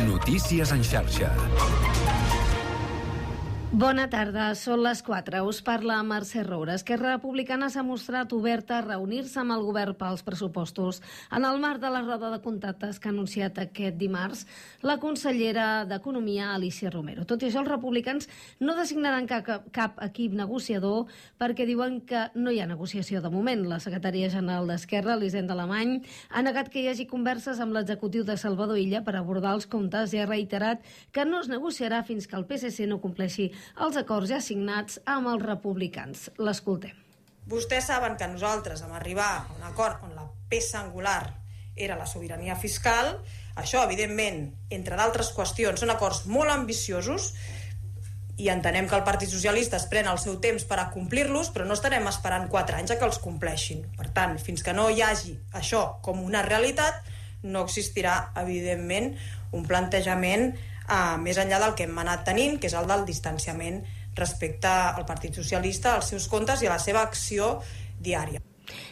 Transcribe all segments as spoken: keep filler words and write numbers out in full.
Notícies en xarxa. Bona tarda, són les quatre. Us parla Mercè Roura. Esquerra Republicana s'ha mostrat oberta a reunir-se amb el govern pels pressupostos. En el marc de la roda de contactes que ha anunciat aquest dimarts la consellera d'Economia, Alícia Romero. Tot i això, els republicans no designaran cap, cap equip negociador perquè diuen que no hi ha negociació de moment. La secretària general d'Esquerra, Elisenda Alemany, ha negat que hi hagi converses amb l'executiu de Salvador Illa per abordar els comptes i ha reiterat que no es negociarà fins que el P S C no compleixi els acords ja signats amb els republicans. L'escoltem. Vostès saben que nosaltres vam arribar a un acord on la peça angular era la sobirania fiscal. Això, evidentment, entre d'altres qüestions, són acords molt ambiciosos i entenem que el Partit Socialista es pren el seu temps per a complir-los, però no estarem esperant quatre anys a que els compleixin. Per tant, fins que no hi hagi això com una realitat, no existirà, evidentment, un plantejament Uh, més enllà del que hem anat tenint, que és el del distanciament respecte al Partit Socialista, als seus comptes i a la seva acció diària.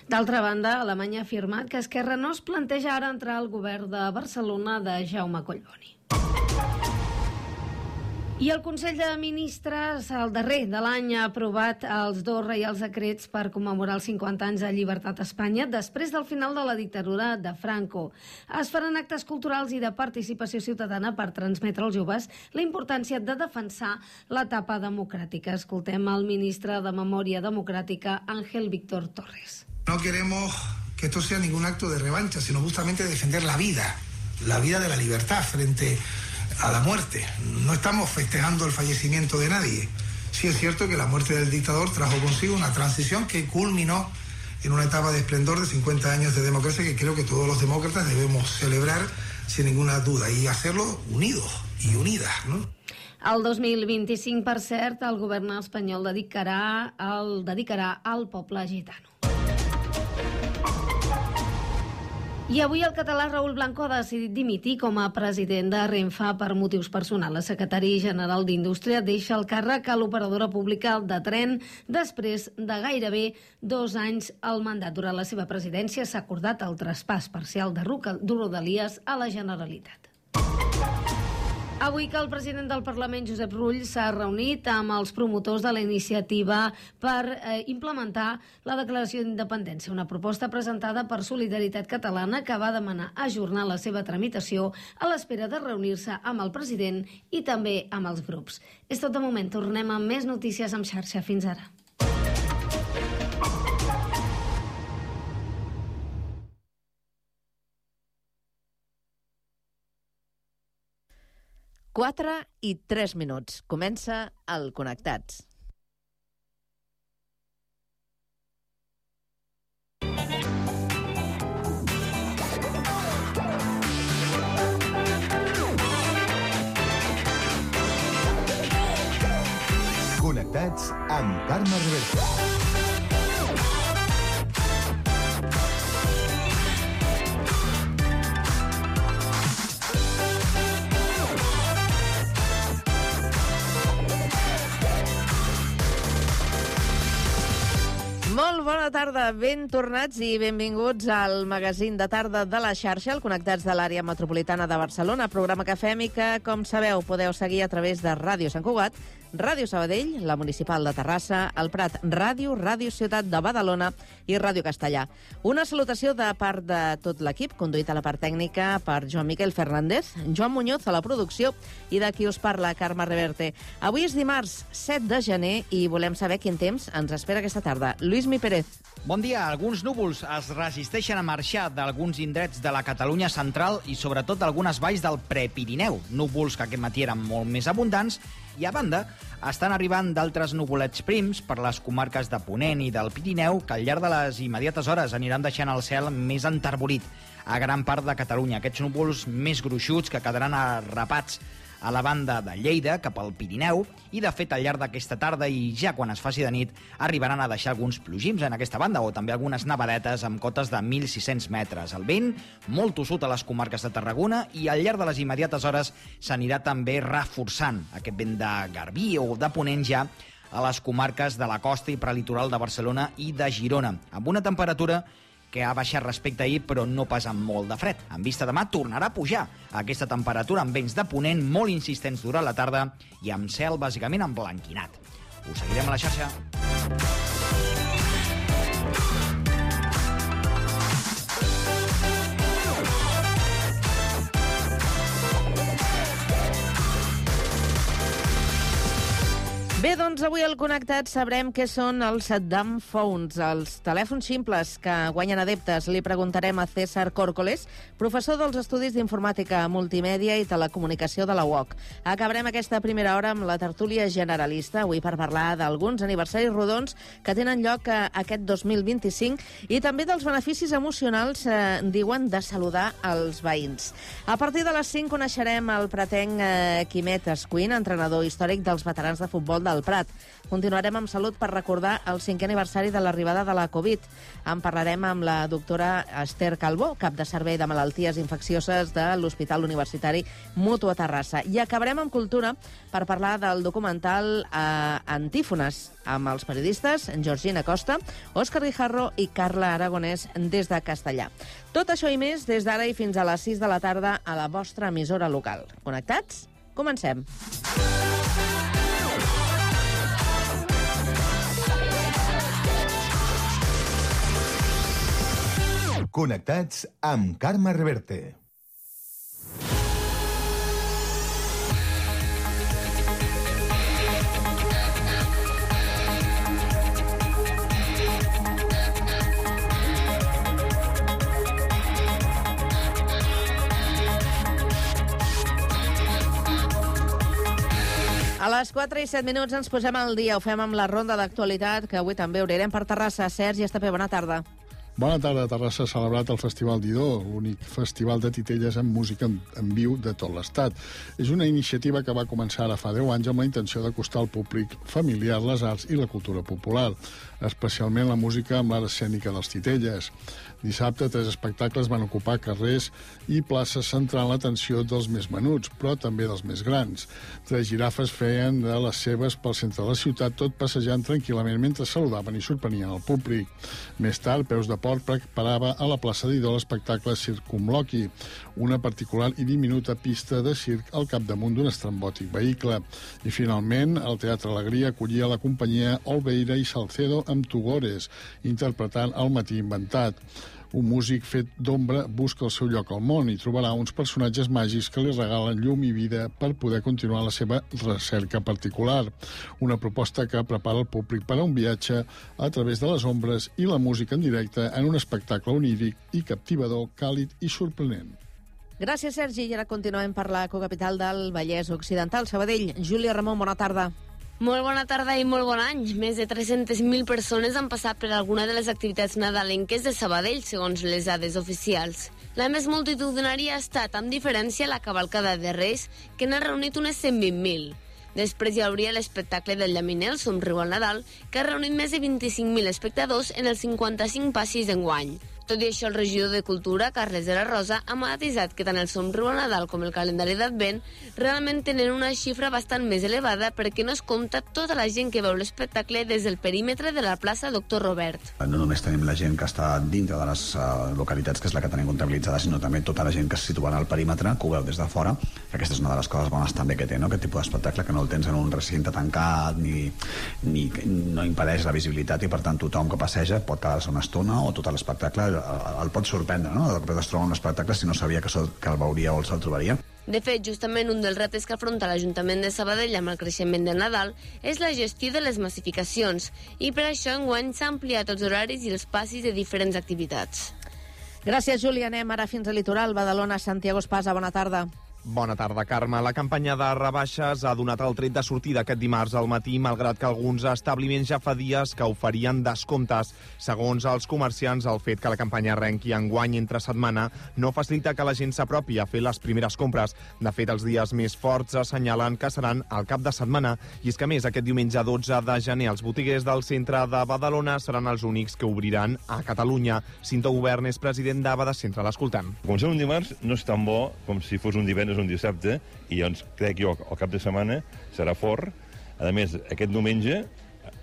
D'altra banda, Alemanya ha afirmat que Esquerra no es planteja ara entrar al govern de Barcelona de Jaume Collboni. I el Consell de Ministres, el darrer de l'any, ha aprovat els dos reials decrets per commemorar els cinquanta anys de llibertat a Espanya després del final de la dictadura de Franco. Es faran actes culturals i de participació ciutadana per transmetre als joves la importància de defensar l'etapa democràtica. Escoltem el ministre de Memòria Democràtica, Ángel Víctor Torres. No queremos que esto sea ningún acto de revancha, sino justamente defender la vida, la vida de la libertad frente a la muerte. No estamos festejando el fallecimiento de nadie. Sí es cierto que la muerte del dictador trajo consigo una transición que culminó en una etapa de esplendor de cincuenta años de democracia que creo que todos los demócratas debemos celebrar sin ninguna duda y hacerlo unidos y unidas, ¿no? El dos mil vint-i-cinc, per cert, el govern espanyol dedicarà el dedicarà al poble gitano. I avui el català Raül Blanco ha decidit dimitir com a president de Renfe per motius personals. El secretari general d'Indústria deixa el càrrec a l'operadora pública de tren després de gairebé dos anys al mandat. Durant la seva presidència s'ha acordat el traspàs parcial de Rodalies a la Generalitat. Avui que el president del Parlament, Josep Rull, s'ha reunit amb els promotors de la iniciativa per eh, implementar la declaració d'independència, una proposta presentada per Solidaritat Catalana que va demanar ajornar la seva tramitació a l'espera de reunir-se amb el president i també amb els grups. És tot de moment, tornem amb més notícies en xarxa. Fins ara. quatre i tres minuts. Comença el Connectats. Connectats amb Carme Reverte. Molt bona tarda, ben tornats i benvinguts al magazín de tarda de la xarxa, el Connectats de l'àrea metropolitana de Barcelona, programa que fem i que, com sabeu, podeu seguir a través de Ràdio Sant Cugat, Ràdio Sabadell, la Municipal de Terrassa, el Prat Ràdio, Ràdio Ciutat de Badalona i Ràdio Castellà. Una salutació de part de tot l'equip, conduït a la part tècnica per Joan Miquel Fernández, Joan Muñoz a la producció i de qui us parla, Carme Reverte. Avui és dimarts set de gener i volem saber quin temps ens espera aquesta tarda. Lluís Mi Pérez. Bon dia. Alguns núvols es resisteixen a marxar d'alguns indrets de la Catalunya central i sobretot d'algunes valls del Prepirineu. Núvols que aquest matí eren molt més abundants i, a banda, estan arribant d'altres nuvolets prims per les comarques de Ponent i del Pirineu que al llarg de les immediates hores aniran deixant el cel més enterbolit a gran part de Catalunya. Aquests núvols més gruixuts que quedaran arrapats a la banda de Lleida cap al Pirineu i, de fet, al llarg d'aquesta tarda i ja quan es faci de nit arribaran a deixar alguns plogims en aquesta banda o també algunes nevadetes amb cotes de mil sis-cents metres. El vent molt tossut a les comarques de Tarragona i al llarg de les immediates hores s'anirà també reforçant aquest vent de Garbí o de Ponent ja a les comarques de la costa i prelitoral de Barcelona i de Girona, amb una temperatura que que ha baixat respecte a ahir, però no pas amb molt de fred. En vista demà tornarà a pujar aquesta temperatura amb vents de ponent molt insistents durant la tarda i amb cel bàsicament emblanquinat. Us seguirem a la xarxa. Bé, doncs avui al Connectat sabrem què són els dumb phones, els telèfons simples que guanyen adeptes. Li preguntarem a César Córcoles, professor dels Estudis d'Informàtica, Multimèdia i Telecomunicació de la U O C. Acabarem aquesta primera hora amb la tertúlia generalista, avui per parlar d'alguns aniversaris rodons que tenen lloc aquest dos mil vint-i-cinc i també dels beneficis emocionals, eh, diuen, de saludar els veïns. A partir de les cinc coneixerem el pretenc eh, Quimet Escuin, entrenador històric dels veterans de futbol del Prat. Continuarem amb salut per recordar el cinquè aniversari de l'arribada de la Covid. En parlarem amb la doctora Esther Calbó, cap de servei de malalties infeccioses de l'Hospital Universitari Mutu a Terrassa. I acabarem amb cultura per parlar del documental eh, Antífones, amb els periodistes Georgina Costa, Òscar Guijarro i Carla Aragonès des de Castellà. Tot això i més des d'ara i fins a les sis de la tarda a la vostra emissora local. Connectats? Comencem. Connectats amb Carme Reverte. A les quatre i set minuts ens posem al dia. Ho fem amb la ronda d'actualitat, que avui també obrirem per Terrassa. Sergi Estapé, bona tarda. Bona tarda. Terrassa ha celebrat el Festival d'Idó, l'únic festival de titelles amb música en, en viu de tot l'Estat. És una iniciativa que va començar ara fa deu anys amb la intenció d'acostar al públic familiar les arts i la cultura popular, especialment la música amb l'art escènica dels titelles. Dissabte, tres espectacles van ocupar carrers i places centrant l'atenció dels més menuts, però també dels més grans. Tres girafes feien de les seves pel centre de la ciutat, tot passejant tranquil·lament mentre saludaven i sorprenien el públic. Més tard, Peus de Porc preparava a la plaça d'Idó l'espectacle Circumloqui, una particular i diminuta pista de circ al capdamunt d'un estrambòtic vehicle. I finalment, el Teatre Alegria acollia la companyia Olveira i Salcedo amb Tugores, interpretant El matí inventat. Un músic fet d'ombra busca el seu lloc al món i trobarà uns personatges màgics que li regalen llum i vida per poder continuar la seva recerca particular. Una proposta que prepara el públic per a un viatge a través de les ombres i la música en directe en un espectacle oníric i captivador, càlid i sorprenent. Gràcies, Sergi. I ara continuem per la cocapital del Vallès Occidental, Sabadell. Júlia Ramon, bona tarda. Molt bona tarda i molt bon any. Més de tres-centes mil persones han passat per alguna de les activitats nadalenques de Sabadell, segons les dades oficials. La més multitudinària ha estat, amb diferència, la cavalcada de Reis, que n'ha reunit unes cent vint mil. Després hi hauria l'espectacle del Llaminer, el Somriu al Nadal, que ha reunit més de vint-i-cinc mil espectadors en els cinquanta-cinc passis d'enguany. Tot i això, el regidor de Cultura, Carles de la Rosa, ha matisat que tant el Somriu al Nadal com el calendari d'Advent realment tenen una xifra bastant més elevada perquè no es compta tota la gent que veu l'espectacle des del perímetre de la plaça Doctor Robert. No només tenim la gent que està dintre de les uh, localitats, que és la que tenim comptabilitzada, sinó també tota la gent que se situa al perímetre, que ho veu des de fora. Aquesta és una de les coses bones també que té, no? Aquest tipus d'espectacle, que no el tens en un recinte tancat, ni, ni no impedeix la visibilitat, i per tant tothom que passeja pot quedar-se una estona o tot l'espectacle el pot sorprendre, no? De cop es troba un espectacle si no sabia que, sol, que el veuria o se'l trobaria. De fet, justament un dels reptes que afronta l'Ajuntament de Sabadell amb el creixement del Nadal és la gestió de les massificacions, i per això enguany s'ha ampliat els horaris i els passis de diferents activitats. Gràcies, Júlia. Anem ara fins al litoral. Badalona, Santiago Espasa, bona tarda. Bona tarda, Carme. La campanya de rebaixes ha donat el tret de sortida aquest dimarts al matí, malgrat que alguns establiments ja fa dies que oferien descomptes. Segons els comerciants, el fet que la campanya arrenqui enguany entre setmana no facilita que la gent s'apropi a fer les primeres compres. De fet, els dies més forts assenyalen que seran al cap de setmana. I és que, a més, aquest diumenge dotze de gener, els botiguers del centre de Badalona seran els únics que obriran a Catalunya. Cinto Govern és president de Bada Centre, l'escoltant. Començar un dimarts no és tan bo com si fos un divendres un dissabte, i llavors crec jo el cap de setmana serà fort. A més, aquest diumenge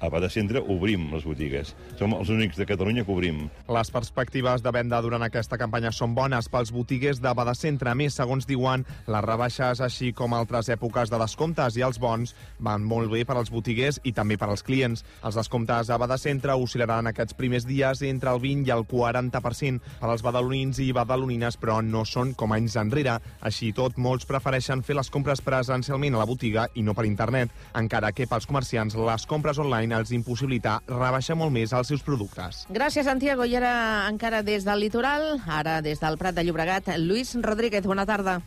a Bada Centre obrim les botigues. Som els únics de Catalunya que obrim. Les perspectives de venda durant aquesta campanya són bones pels botiguers de Bada Centre. A més, segons diuen, les rebaixes, així com altres èpoques de descomptes i els bons, van molt bé per als botiguers i també per als clients. Els descomptes a Bada Centre oscil·laran aquests primers dies entre el vint i el quaranta per cent per als badalonins i badalonines, però no són com anys enrere. Així i tot, molts prefereixen fer les compres presencialment a la botiga i no per internet, encara que pels comerciants les compres online els impossibilita rebaixar molt més els seus productes. Gràcies, Santiago. I ara encara des del litoral, ara des del Prat de Llobregat, Lluís Rodríguez, bona tarda.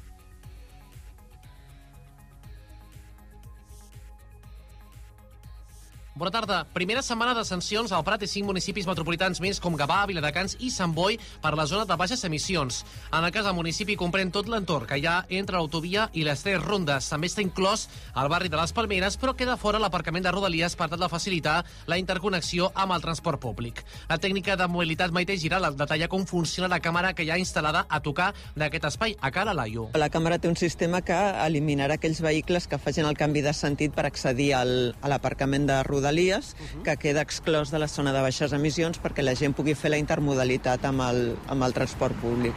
Bona tarda. Primera setmana de sancions al Prat i cinc municipis metropolitans més com Gavà, Viladecans i Sant Boi per la zona de baixes emissions. En el cas del municipi comprèn tot l'entorn que hi ha entre l'autovia i les tres rondes. També està inclòs el barri de les Palmeres, però queda fora l'aparcament de Rodalies per tal de facilitar la interconnexió amb el transport públic. La tècnica de mobilitat Maite Giral detalla com funciona la càmera que hi ha instal·lada a tocar d'aquest espai a Cala Laio. La càmera té un sistema que eliminarà aquells vehicles que facin el canvi de sentit per accedir al, a l'aparcament de Rodalies, Uh-huh. que queda exclòs de la zona de baixes emissions perquè la gent pugui fer la intermodalitat amb el, amb el transport públic.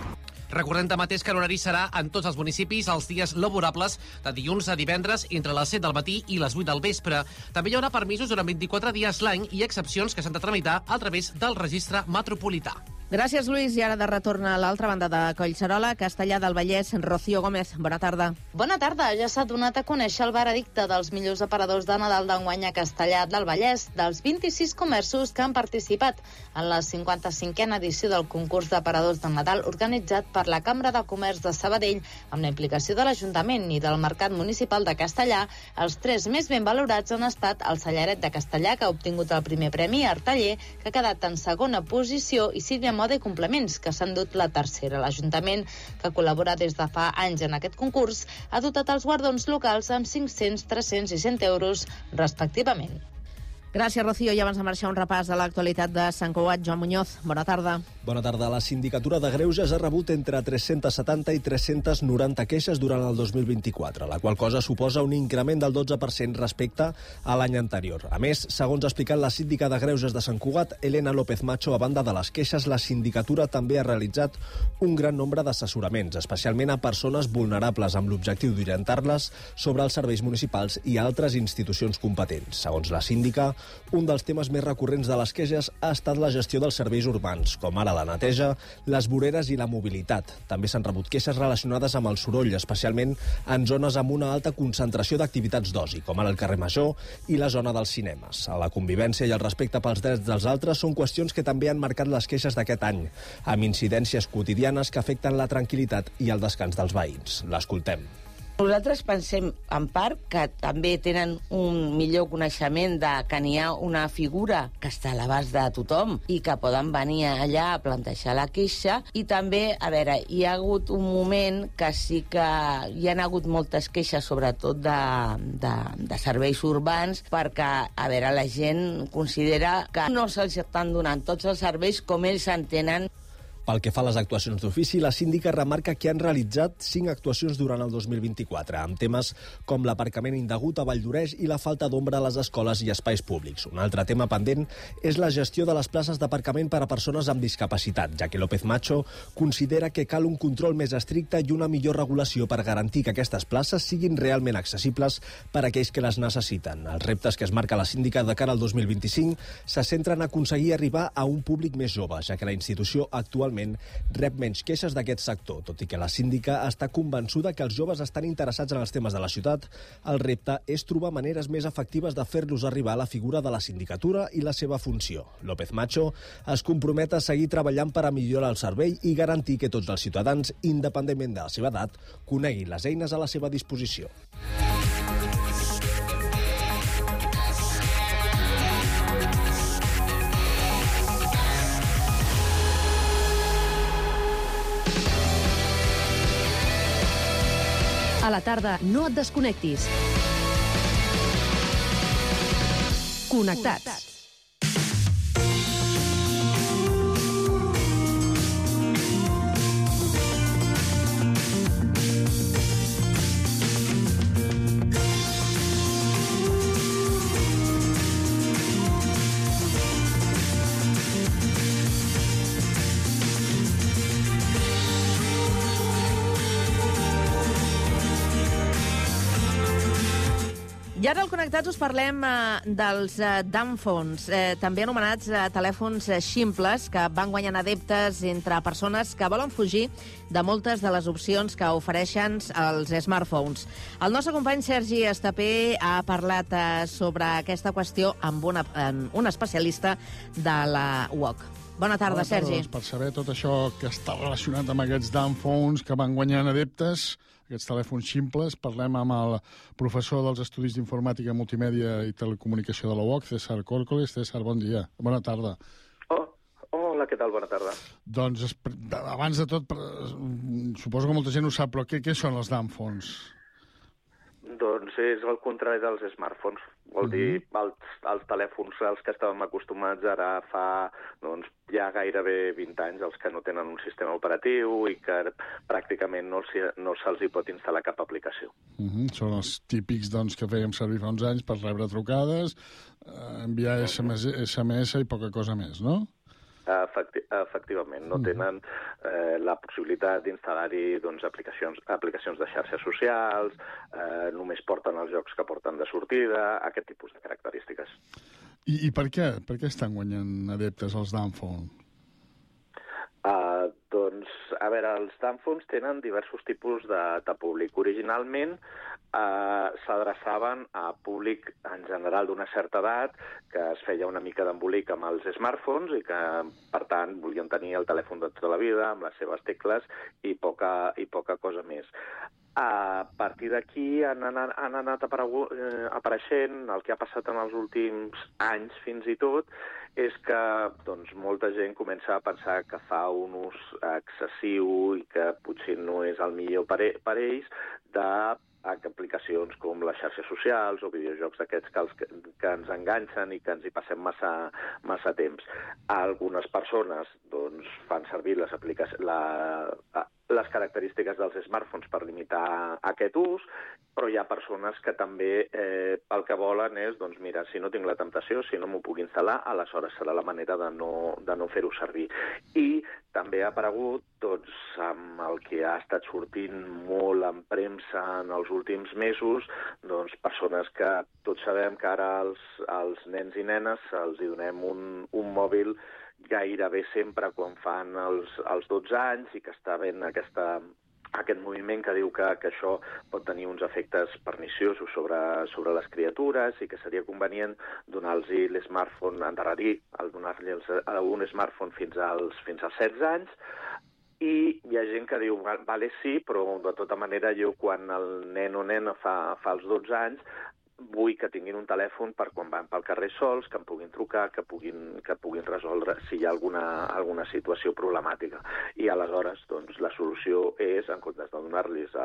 Recordem mateix que l'horari serà en tots els municipis els dies laborables de dilluns a divendres entre les set del matí i les vuit del vespre. També hi haurà permisos durant vint-i-quatre dies l'any i excepcions que s'han de tramitar a través del registre metropolità. Gràcies, Lluís. I ara de retorn a l'altra banda de Collserola, Castellà del Vallès, Rocío Gómez. Bona tarda. Bona tarda. Ja s'ha donat a conèixer el veredicte dels millors aparadors de Nadal d'enguany a Castellà del Vallès, dels vint-i-sis comerços que han participat en la cinquanta-cinquena edició del concurs d'aparadors de Nadal organitzat per la Cambra de Comerç de Sabadell amb la implicació de l'Ajuntament i del Mercat Municipal de Castellà. Els tres més ben valorats han estat el Cellaret de Castellà, que ha obtingut el primer premi, Arteller, que ha quedat en segona posició, i Sílvia Moda i Complements, que s'han dut la tercera. L'Ajuntament, que col·labora des de fa anys en aquest concurs, ha dotat els guardons locals amb cinc-cents, tres-cents i cent euros, respectivament. Gràcies, Rocío. I abans de marxar, un repàs de l'actualitat de Sant Cugat. Joan Muñoz, bona tarda. Bona tarda. La Sindicatura de Greuges ha rebut entre tres-cents setanta i tres-cents noranta queixes durant el dos mil vint-i-quatre, la qual cosa suposa un increment del dotze per cent respecte a l'any anterior. A més, segons ha explicat la síndica de Greuges de Sant Cugat, Elena López Macho, a banda de les queixes, la Sindicatura també ha realitzat un gran nombre d'assessoraments, especialment a persones vulnerables, amb l'objectiu d'orientar-les sobre els serveis municipals i altres institucions competents. Segons la síndica, un dels temes més recurrents de les queixes ha estat la gestió dels serveis urbans, com ara la neteja, les voreres i la mobilitat. També s'han rebut queixes relacionades amb el soroll, especialment en zones amb una alta concentració d'activitats d'oci, com ara el carrer Major i la zona dels cinemes. La convivència i el respecte pels drets dels altres són qüestions que també han marcat les queixes d'aquest any, amb incidències quotidianes que afecten la tranquil·litat i el descans dels veïns. L'escoltem. Nosaltres pensem, en part, que també tenen un millor coneixement de que n'hi ha una figura que està a l'abast de tothom i que poden venir allà a plantejar la queixa. I també, a veure, hi ha hagut un moment que sí que hi han hagut moltes queixes, sobretot de, de, de serveis urbans, perquè, a veure, la gent considera que no se'ls estan donant tots els serveis com ells entenen. Pel que fa a les actuacions d'ofici, la síndica remarca que han realitzat cinc actuacions durant el dos mil vint-i-quatre, amb temes com l'aparcament indegut a Valldoreix i la falta d'ombra a les escoles i espais públics. Un altre tema pendent és la gestió de les places d'aparcament per a persones amb discapacitat, ja que López Macho considera que cal un control més estricte i una millor regulació per garantir que aquestes places siguin realment accessibles per a aquells que les necessiten. Els reptes que es marca la síndica de cara al dos mil vint-i-cinc se centren en aconseguir arribar a un públic més jove, ja que la institució actualment rep menys queixes d'aquest sector. Tot i que la síndica està convençuda que els joves estan interessats en els temes de la ciutat, el repte és trobar maneres més efectives de fer-los arribar a la figura de la sindicatura i la seva funció. López Macho es compromet a seguir treballant per a millorar el servei i garantir que tots els ciutadans, independentment de la seva edat, coneguin les eines a la seva disposició. A la tarda, no et desconnectis. Connectats. I ara al Connectats us parlem eh, dels eh, dumbphones, eh, també anomenats eh, telèfons eh, ximples, que van guanyant adeptes entre persones que volen fugir de moltes de les opcions que ofereixen els smartphones. El nostre company Sergi Estapé ha parlat eh, sobre aquesta qüestió amb una, eh, un especialista de la U O C. Bona tarda, Bona tarda, Sergi. Doncs, per saber tot això que està relacionat amb aquests dumbphones que van guanyant adeptes, aquests telèfons ximples, parlem amb el professor dels Estudis d'Informàtica, Multimèdia i Telecomunicació de la U O C, César Córcoles. César, bon dia. Bona tarda. Oh, hola, què tal? Bona tarda. Doncs, abans de tot, suposo que molta gent ho sap, però què, què són els dumbphones? Doncs és el contrari dels smartphones. Vol uh-huh. dir, els, els telèfons als que estàvem acostumats ara fa doncs, ja gairebé vint anys, els que no tenen un sistema operatiu i que pràcticament no, no se'ls hi pot instal·lar cap aplicació. Uh-huh. Són els típics doncs, que fèiem servir fa uns anys per rebre trucades, eh, enviar S M S, S M S i poca cosa més, no? Efecti efectivament, no tenen eh, la possibilitat d'instal·lar-hi doncs, aplicacions, aplicacions de xarxes socials, eh, només porten els jocs que porten de sortida, aquest tipus de característiques. I, i per què? Per què estan guanyant adeptes els dumbphones? Uh, doncs, a veure, els dumbphones tenen diversos tipus de, de públic. Originalment uh, s'adreçaven a públic en general d'una certa edat que es feia una mica d'embolic amb els smartphones i que, per tant, volien tenir el telèfon de tota la vida amb les seves tecles i poca, i poca cosa més. A partir d'aquí han, han, han anat eh, apareixent el que ha passat en els últims anys fins i tot és que doncs, molta gent comença a pensar que fa un ús excessiu i que potser no és el millor per, e per ells d'aplicacions com les xarxes socials o videojocs d'aquests que, els, que ens enganxen i que ens hi passem massa, massa temps. Algunes persones doncs, fan servir les aplicacions... La, les característiques dels smartphones per limitar aquest ús, però hi ha persones que també eh, el que volen és, doncs mira, si no tinc la temptació, si no m'ho puc instal·lar, aleshores serà la manera de no, de no fer-ho servir. I també ha aparegut, doncs, amb el que ha estat sortint molt en premsa en els últims mesos, doncs, persones que tots sabem que ara als, als nens i nenes els hi donem un, un mòbil gairebé sempre quan fan els, els dotze anys i que està havent aquesta, aquest moviment que diu que, que això pot tenir uns efectes perniciosos sobre, sobre les criatures i que seria convenient donar-los l'smartphone, endarrerir el donar-los un smartphone fins als, fins als setze anys. I hi ha gent que diu, vale, sí, però de tota manera jo quan el nen o nena fa, fa els dotze anys vull que tinguin un telèfon per quan van pel carrer sols, que em puguin trucar, que puguin, que puguin resoldre si hi ha alguna, alguna situació problemàtica. I aleshores, doncs, la solució és, en comptes de donar-los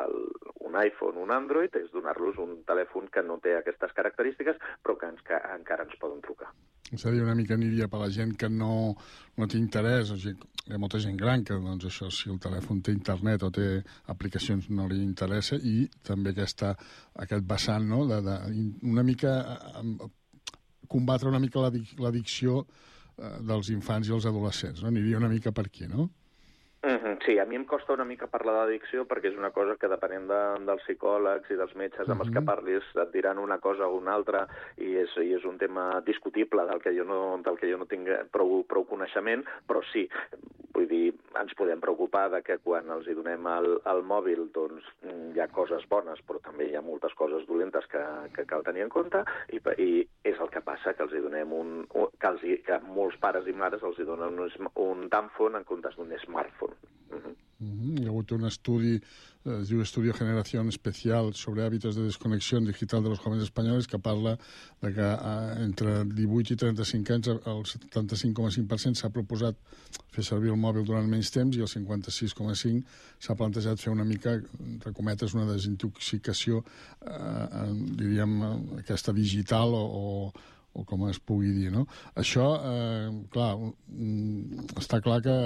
un iPhone, un Android, és donar-los un telèfon que no té aquestes característiques, però que, ens, que encara ens poden trucar. És a dir, una mica aniria per la gent que no, no té interès, o sigui, hi ha molta gent gran que, doncs, això, si el telèfon té internet o té aplicacions no li interessa, i també aquesta, aquest vessant, no?, de, de, una mica combatre una mica l'addicció dels infants i els adolescents, no? Aniria una mica per aquí, no? Mm-hmm, sí, a mi em costa una mica parlar d'addicció perquè és una cosa que depenent de, dels psicòlegs i dels metges amb els que parlis et diran una cosa o una altra i és, i és un tema discutible del que jo no, del que jo no tinc prou, prou coneixement, però sí, vull dir, ens podem preocupar de que quan els hi donem el, el mòbil doncs hi ha coses bones, però també hi ha moltes coses dolentes que, que cal tenir en compte i, i és el que passa, que els hi donem un... que, els hi, que molts pares i mares els hi donen un, un dumbphone en comptes d'un smartphone. Uh-huh. Uh-huh. Hi ha hagut un estudi, eh, es diu Estudio Generación Especial sobre hábitos de desconexión digital de los jóvenes españoles, que parla de que eh, entre divuit i trenta-cinc anys el setanta-cinc coma cinc per cent s'ha proposat fer servir el mòbil durant menys temps i el cinquanta-sis coma cinc per cent s'ha plantejat fer una mica, entre cometes, una desintoxicació, eh, diríem, aquesta digital o, o o com es pugui dir, no? Això, eh, clar, està clar que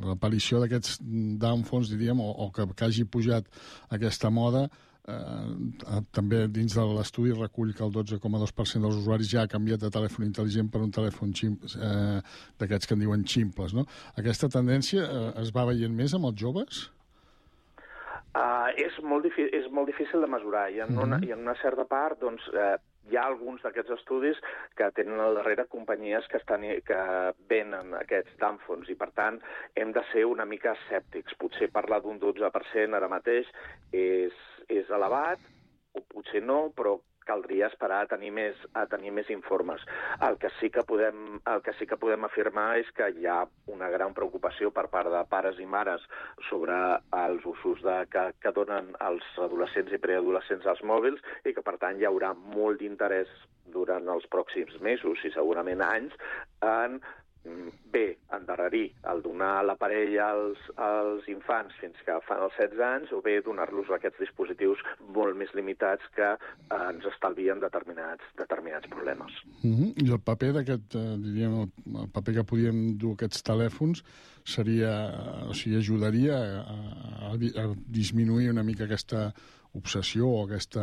l'aparició d'aquests dumbphones, diríem, o, o que, que hagi pujat aquesta moda, eh, també dins de l'estudi recull que el dotze coma dos per cent dels usuaris ja ha canviat de telèfon intel·ligent per un telèfon eh, d'aquests que en diuen ximples, no? Aquesta tendència eh, es va veient més amb els joves? Uh, és, molt és molt difícil de mesurar, i en, una, i en una certa part, doncs, uh, hi ha alguns d'aquests estudis que tenen al darrere companyies que, estan, que venen aquests dàmfons i, per tant, hem de ser una mica escèptics. Potser parlar d'un dotze per cent ara mateix és, és elevat, o potser no, però caldria esperar a tenir més, a tenir més informes. El que, sí que podem, el que sí que podem afirmar és que hi ha una gran preocupació per part de pares i mares sobre els usos de, que, que donen els adolescents i preadolescents als mòbils i que, per tant, hi haurà molt d'interès durant els pròxims mesos i segurament anys en bé, endarrerir el donar l'aparell als, als infants fins que fan els setze anys o bé donar-los aquests dispositius molt més limitats que eh, ens estalvien determinats, determinats problemes. Mm-hmm. I el paper d'aquest, eh, diríem, el, el paper que podíem dur aquests telèfons seria, o sigui, ajudaria a, a, a disminuir una mica aquesta obsessió o aquesta...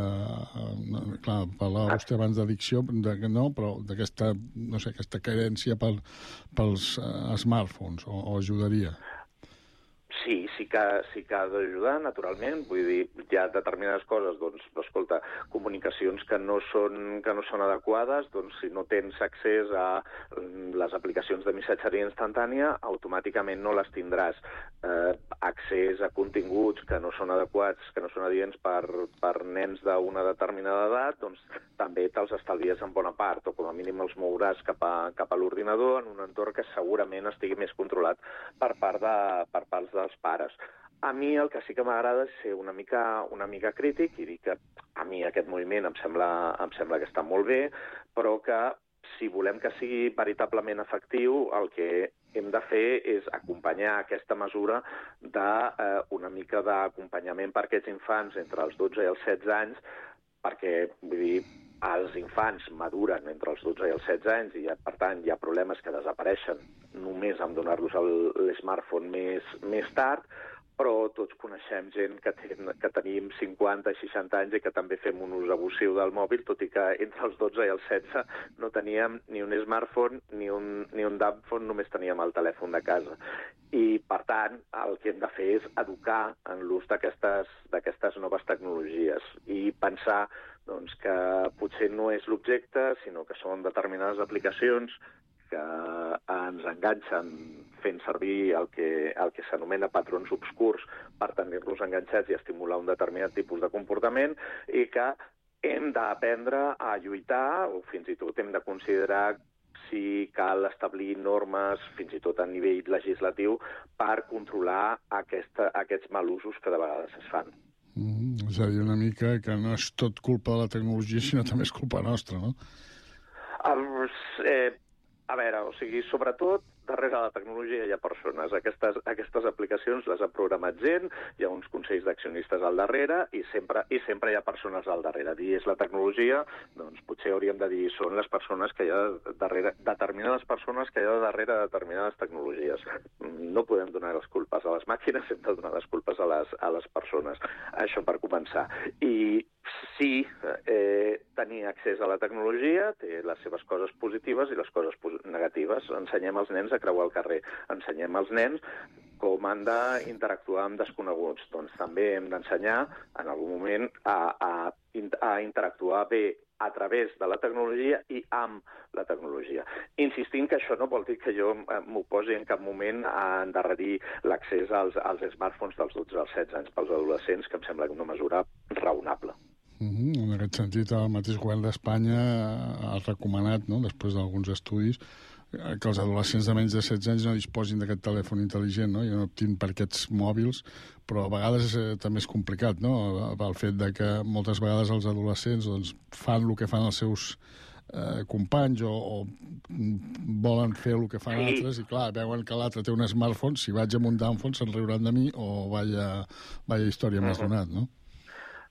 Uh, clar, parlava vostè abans d'addicció, de, no, però d'aquesta, no sé, aquesta carència pel, pels uh, smartphones, o, o ajudaria? Sí, sí que, sí que ha d'ajudar, naturalment. Vull dir, hi ha determinades coses, doncs, escolta, comunicacions que no són, que no són adequades, doncs si no tens accés a les aplicacions de missatgeria instantània, automàticament no les tindràs. Eh, accés a continguts que no són adequats, que no són adients per, per nens d'una determinada edat, doncs també te'ls estalvies en bona part, o com a mínim els mouràs cap a, cap a l'ordinador en un entorn que segurament estigui més controlat per part de, per parts dels pares. A mi el que sí que m'agrada és ser una mica, una mica crític i dir que a mi aquest moviment em sembla, em sembla que està molt bé, però que si volem que sigui veritablement efectiu, el que hem de fer és acompanyar aquesta mesura d'una eh, mica d'acompanyament per aquests infants entre els dotze i els setze anys, perquè, vull dir, els infants maduren entre els dotze i els setze anys i, per tant, hi ha problemes que desapareixen només amb donar-los l'smartphone més, més tard, però tots coneixem gent que, ten, que tenim cinquanta, seixanta anys i que també fem un ús abusiu del mòbil, tot i que entre els dotze i els setze no teníem ni un smartphone ni un, ni un dumbphone, només teníem el telèfon de casa. I, per tant, el que hem de fer és educar en l'ús d'aquestes noves tecnologies i pensar doncs, que potser no és l'objecte, sinó que són determinades aplicacions que ens enganxen fent servir el que, el que s'anomena patrons obscurs per tenir-los enganxats i estimular un determinat tipus de comportament i que hem d'aprendre a lluitar o fins i tot hem de considerar si cal establir normes, fins i tot a nivell legislatiu, per controlar aquesta, aquests malusos que de vegades es fan. Mm, és a dir, una mica que no és tot culpa de la tecnologia, sinó també és culpa nostra, no? Uh, eh, a veure, o sigui, sobretot, darrere la tecnologia hi ha persones. Aquestes, aquestes aplicacions les ha programat gent, hi ha uns consells d'accionistes al darrere i sempre, i sempre hi ha persones al darrere. Dir és la tecnologia, doncs potser hauríem de dir són les persones que hi ha darrere, determinades persones que hi ha darrere determinades tecnologies. No podem donar les culpes a les màquines, hem de donar les culpes a les, a les persones. Això per començar. I sí, eh, tenir accés a la tecnologia té les seves coses positives i les coses negatives. Ensenyem als nens a creuar el carrer. Ensenyem als nens com han d'interactuar amb desconeguts. Doncs també hem d'ensenyar en algun moment a, a, a interactuar bé a través de la tecnologia i amb la tecnologia. Insistint que això no vol dir que jo m'oposi en cap moment a endarrerir l'accés als, als smartphones dels dotze als setze anys pels adolescents, que em sembla una mesura raonable. Mm-hmm. En aquest sentit, el mateix govern d'Espanya ha recomanat, no?, després d'alguns estudis, que els adolescents de menys de setze anys no disposin d'aquest telèfon intel·ligent, no?, i no optin per aquests mòbils, però a vegades eh, també és complicat, no?, el fet de que moltes vegades els adolescents doncs, fan el que fan els seus eh, companys o, o volen fer el que fan sí. altres i, clar, veuen que l'altre té un smartphone, si vaig amb un downphone se'n riuran de mi o vaya, vaya història uh-huh. més donat, no?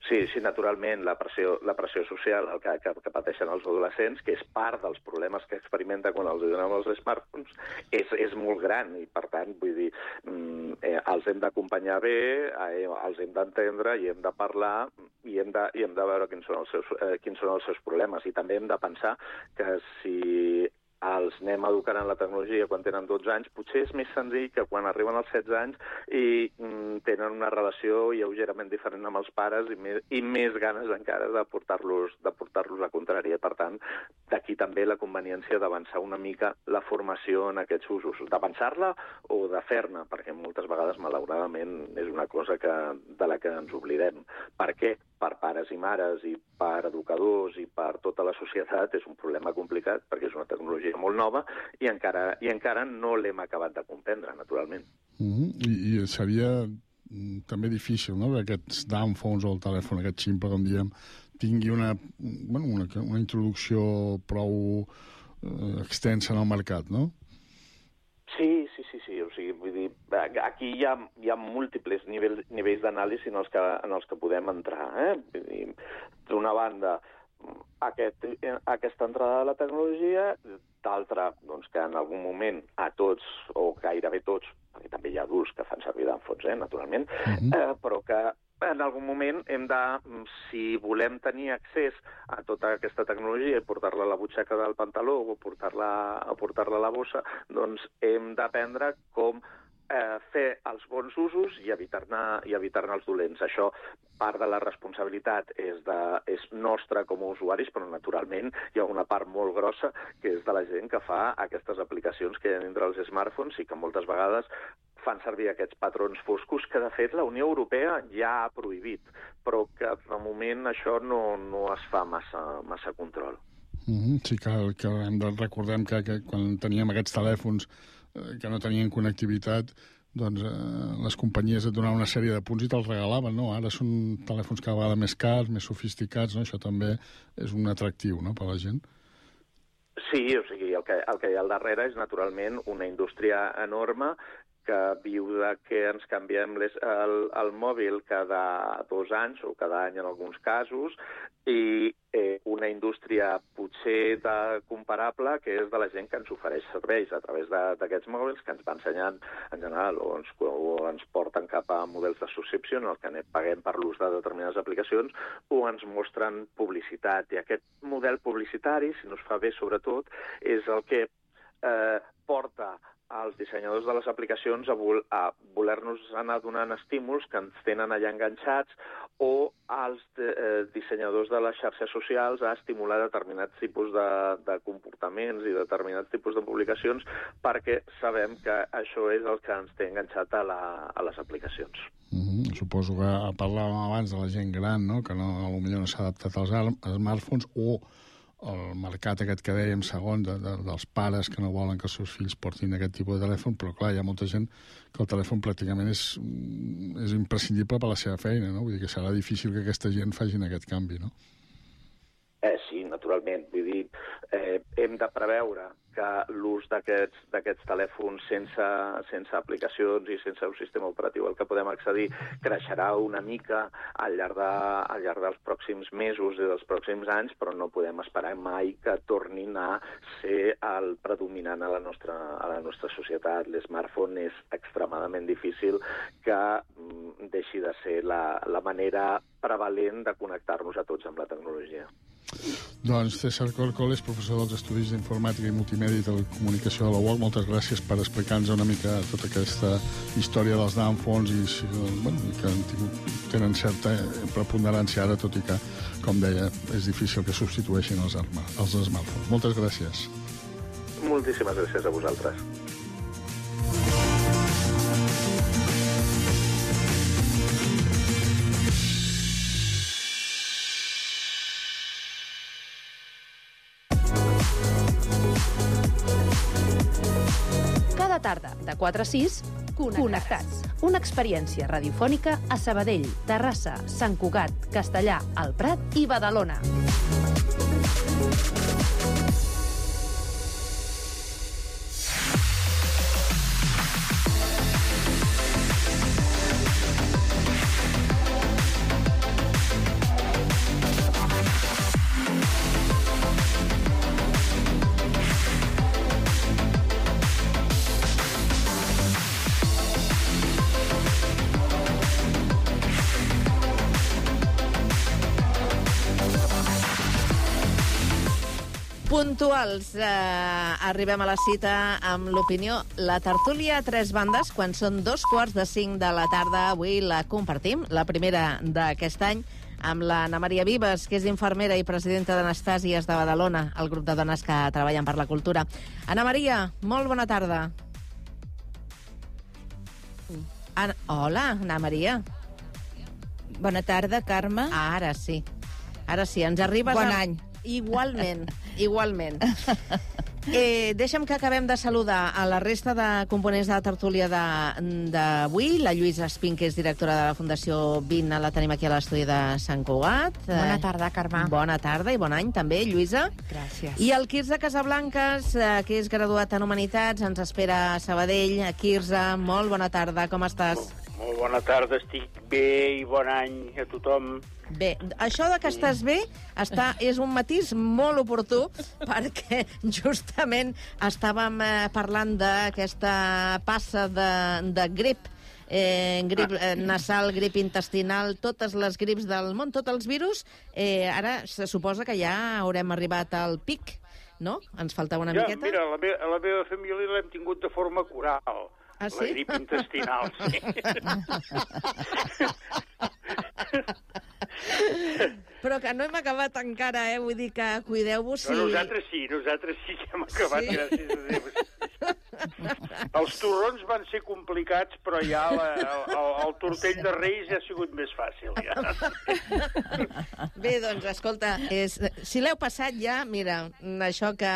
Sí, sí, naturalment, la pressió, la pressió social que, que, que pateixen els adolescents, que és part dels problemes que experimenten quan els donem els smartphones, és, és molt gran i, per tant, vull dir, eh, els hem d'acompanyar bé, eh, els hem d'entendre i hem de parlar i hem de, i hem de veure quins són, els seus, eh, quins són els seus problemes. I també hem de pensar que si els anem educant en la tecnologia quan tenen dotze anys, potser és més senzill que quan arriben als setze anys i mm, tenen una relació lleugerament diferent amb els pares i més, i més ganes encara de portar-los de portar-los la contrària. Per tant, d'aquí també la conveniència d'avançar una mica la formació en aquests usos, d'avançar-la o de fer-ne, perquè moltes vegades, malauradament, és una cosa que, de la que ens oblidem. Per què? Per pares i mares i per educadors i per tota la societat és un problema complicat perquè és una tecnologia molt nova i encara, i encara no l'hem acabat de comprendre, naturalment. Mm-hmm. I, I seria també difícil, no?, que aquests downphones o el telèfon, aquest ximple, com diem, tingui una, bueno, una, una introducció prou eh, extensa en el mercat, no? Sí, sí, sí, sí. O sigui, vull dir, aquí hi ha, hi ha múltiples nivells, nivells d'anàlisi en, els que, en els que podem entrar. Eh? Vull dir, d'una banda, aquest, aquesta entrada de la tecnologia, d'altra, doncs, que en algun moment a tots, o gairebé tots, perquè també hi ha adults que fan servir d'enfots, eh, naturalment, uh-huh. eh, però que en algun moment hem de, si volem tenir accés a tota aquesta tecnologia i portar-la a la butxaca del pantaló o portar-la o portar-la a la bossa, doncs hem d'aprendre com eh, fer els bons usos i evitar-ne i evitar-ne els dolents. Això, part de la responsabilitat és, de, és nostra com a usuaris, però naturalment hi ha una part molt grossa que és de la gent que fa aquestes aplicacions que hi ha dintre els smartphones i que moltes vegades fan servir aquests patrons foscos que, de fet, la Unió Europea ja ha prohibit, però que, de moment, això no, no es fa massa, massa control. Mm-hmm. Sí, que, que hem de recordem que, que quan teníem aquests telèfons eh, que no tenien connectivitat, doncs eh, les companyies et donaven una sèrie de punts i te'ls regalaven, no? Ara són telèfons cada vegada més cars, més sofisticats, no? Això també és un atractiu, no?, per la gent. Sí, o sigui, el que, el que hi ha al darrere és, naturalment, una indústria enorme que viu de que ens canviem les, el, el mòbil cada dos anys o cada any en alguns casos i eh, una indústria potser de, comparable que és de la gent que ens ofereix serveis a través d'aquests mòbils que ens va ensenyant en general o ens, o ens porten cap a models de subscripció en el que paguem per l'ús de determinades aplicacions o ens mostren publicitat. I aquest model publicitari, si no es fa bé sobretot, és el que eh, porta als dissenyadors de les aplicacions a, vol, a voler-nos anar donant estímuls que ens tenen allà enganxats o als de, eh, dissenyadors de les xarxes socials a estimular determinats tipus de, de comportaments i determinats tipus de publicacions perquè sabem que això és el que ens té enganxat a, la, a les aplicacions. Mm-hmm. Suposo que parlàvem abans de la gent gran, no?, que no, potser no s'ha adaptat als smartphones o el mercat aquest que dèiem segon de, de, dels pares que no volen que els seus fills portin aquest tipus de telèfon, però clar, hi ha molta gent que el telèfon pràcticament és, és imprescindible per la seva feina, no? Vull dir que serà difícil que aquesta gent facin aquest canvi, no? Eh, sí, naturalment. Vull dir, eh, hem de preveure que l'ús d'aquests d'aquests telèfons sense, sense aplicacions i sense un sistema operatiu al que podem accedir creixerà una mica al llarg, de, al llarg dels pròxims mesos i dels pròxims anys, però no podem esperar mai que tornin a ser el predominant a la nostra, a la nostra societat. L'smartphone és extremadament difícil que mm, deixi de ser la, la manera prevalent de connectar-nos a tots amb la tecnologia. Doncs César Corcol és professor dels Estudis d'Informàtica i Multimèdia i Telecomunicació de la U O C. Moltes gràcies per explicar-nos una mica tota aquesta història dels downphones i, bueno, que han tingut, tenen certa preponderància ara, tot i que, com deia, és difícil que substitueixin els, els smartphones. Moltes gràcies. Moltíssimes gràcies a vosaltres. Tarda, de quatre a sis, Connectats. Connectats. Una experiència radiofònica a Sabadell, Terrassa, Sant Cugat, Castellà, el Prat i Badalona. Puntuals, eh, arribem a la cita amb l'opinió. La tertúlia a tres bandes, quan són dos quarts de cinc de la tarda, avui la compartim, la primera d'aquest any, amb l'Anna Maria Vives, que és infermera i presidenta d'Anastàsies de Badalona, el grup de dones que treballen per la cultura. Anna Maria, molt bona tarda. Ana... Hola, Anna Maria. Bona tarda, Carme. Ara sí. Ara sí, ens arribes... Bon a... any. Igualment, igualment. Eh, deixa'm que acabem de saludar a la resta de components de la tertúlia d'avui. La Lluïsa Espín, que és directora de la Fundació vint, la tenim aquí a l'estudi de Sant Cugat. Bona tarda, Carme. Bona tarda i bon any també, Lluïsa. Gràcies. I el Quirze Casablancas, eh, que és graduat en Humanitats, ens espera a Sabadell. Quirze, molt bona tarda, com estàs? Molt bona tarda, estic bé i bon any a tothom. Bé, això de que estàs bé està, és un matís molt oportú perquè justament estàvem eh, parlant d'aquesta passa de, de grip, eh, grip eh, nasal, grip intestinal, totes les grips del món, tots els virus. Eh, ara se suposa que ja haurem arribat al pic, no? Ens faltava una ja, miqueta. Mira, la, me a la meva família l'hem tingut de forma coral. Ah, sí? La grip intestinal, sí. Però que no hem acabat encara, eh? Vull dir que cuideu-vos si... No, nosaltres sí, nosaltres sí que hem acabat, sí? Gràcies a Déu. Els torrons van ser complicats, però ja la, el, el tortell de Reis ja ha sigut més fàcil. Ja. Bé, doncs, escolta, és, si l'heu passat ja, mira, això que,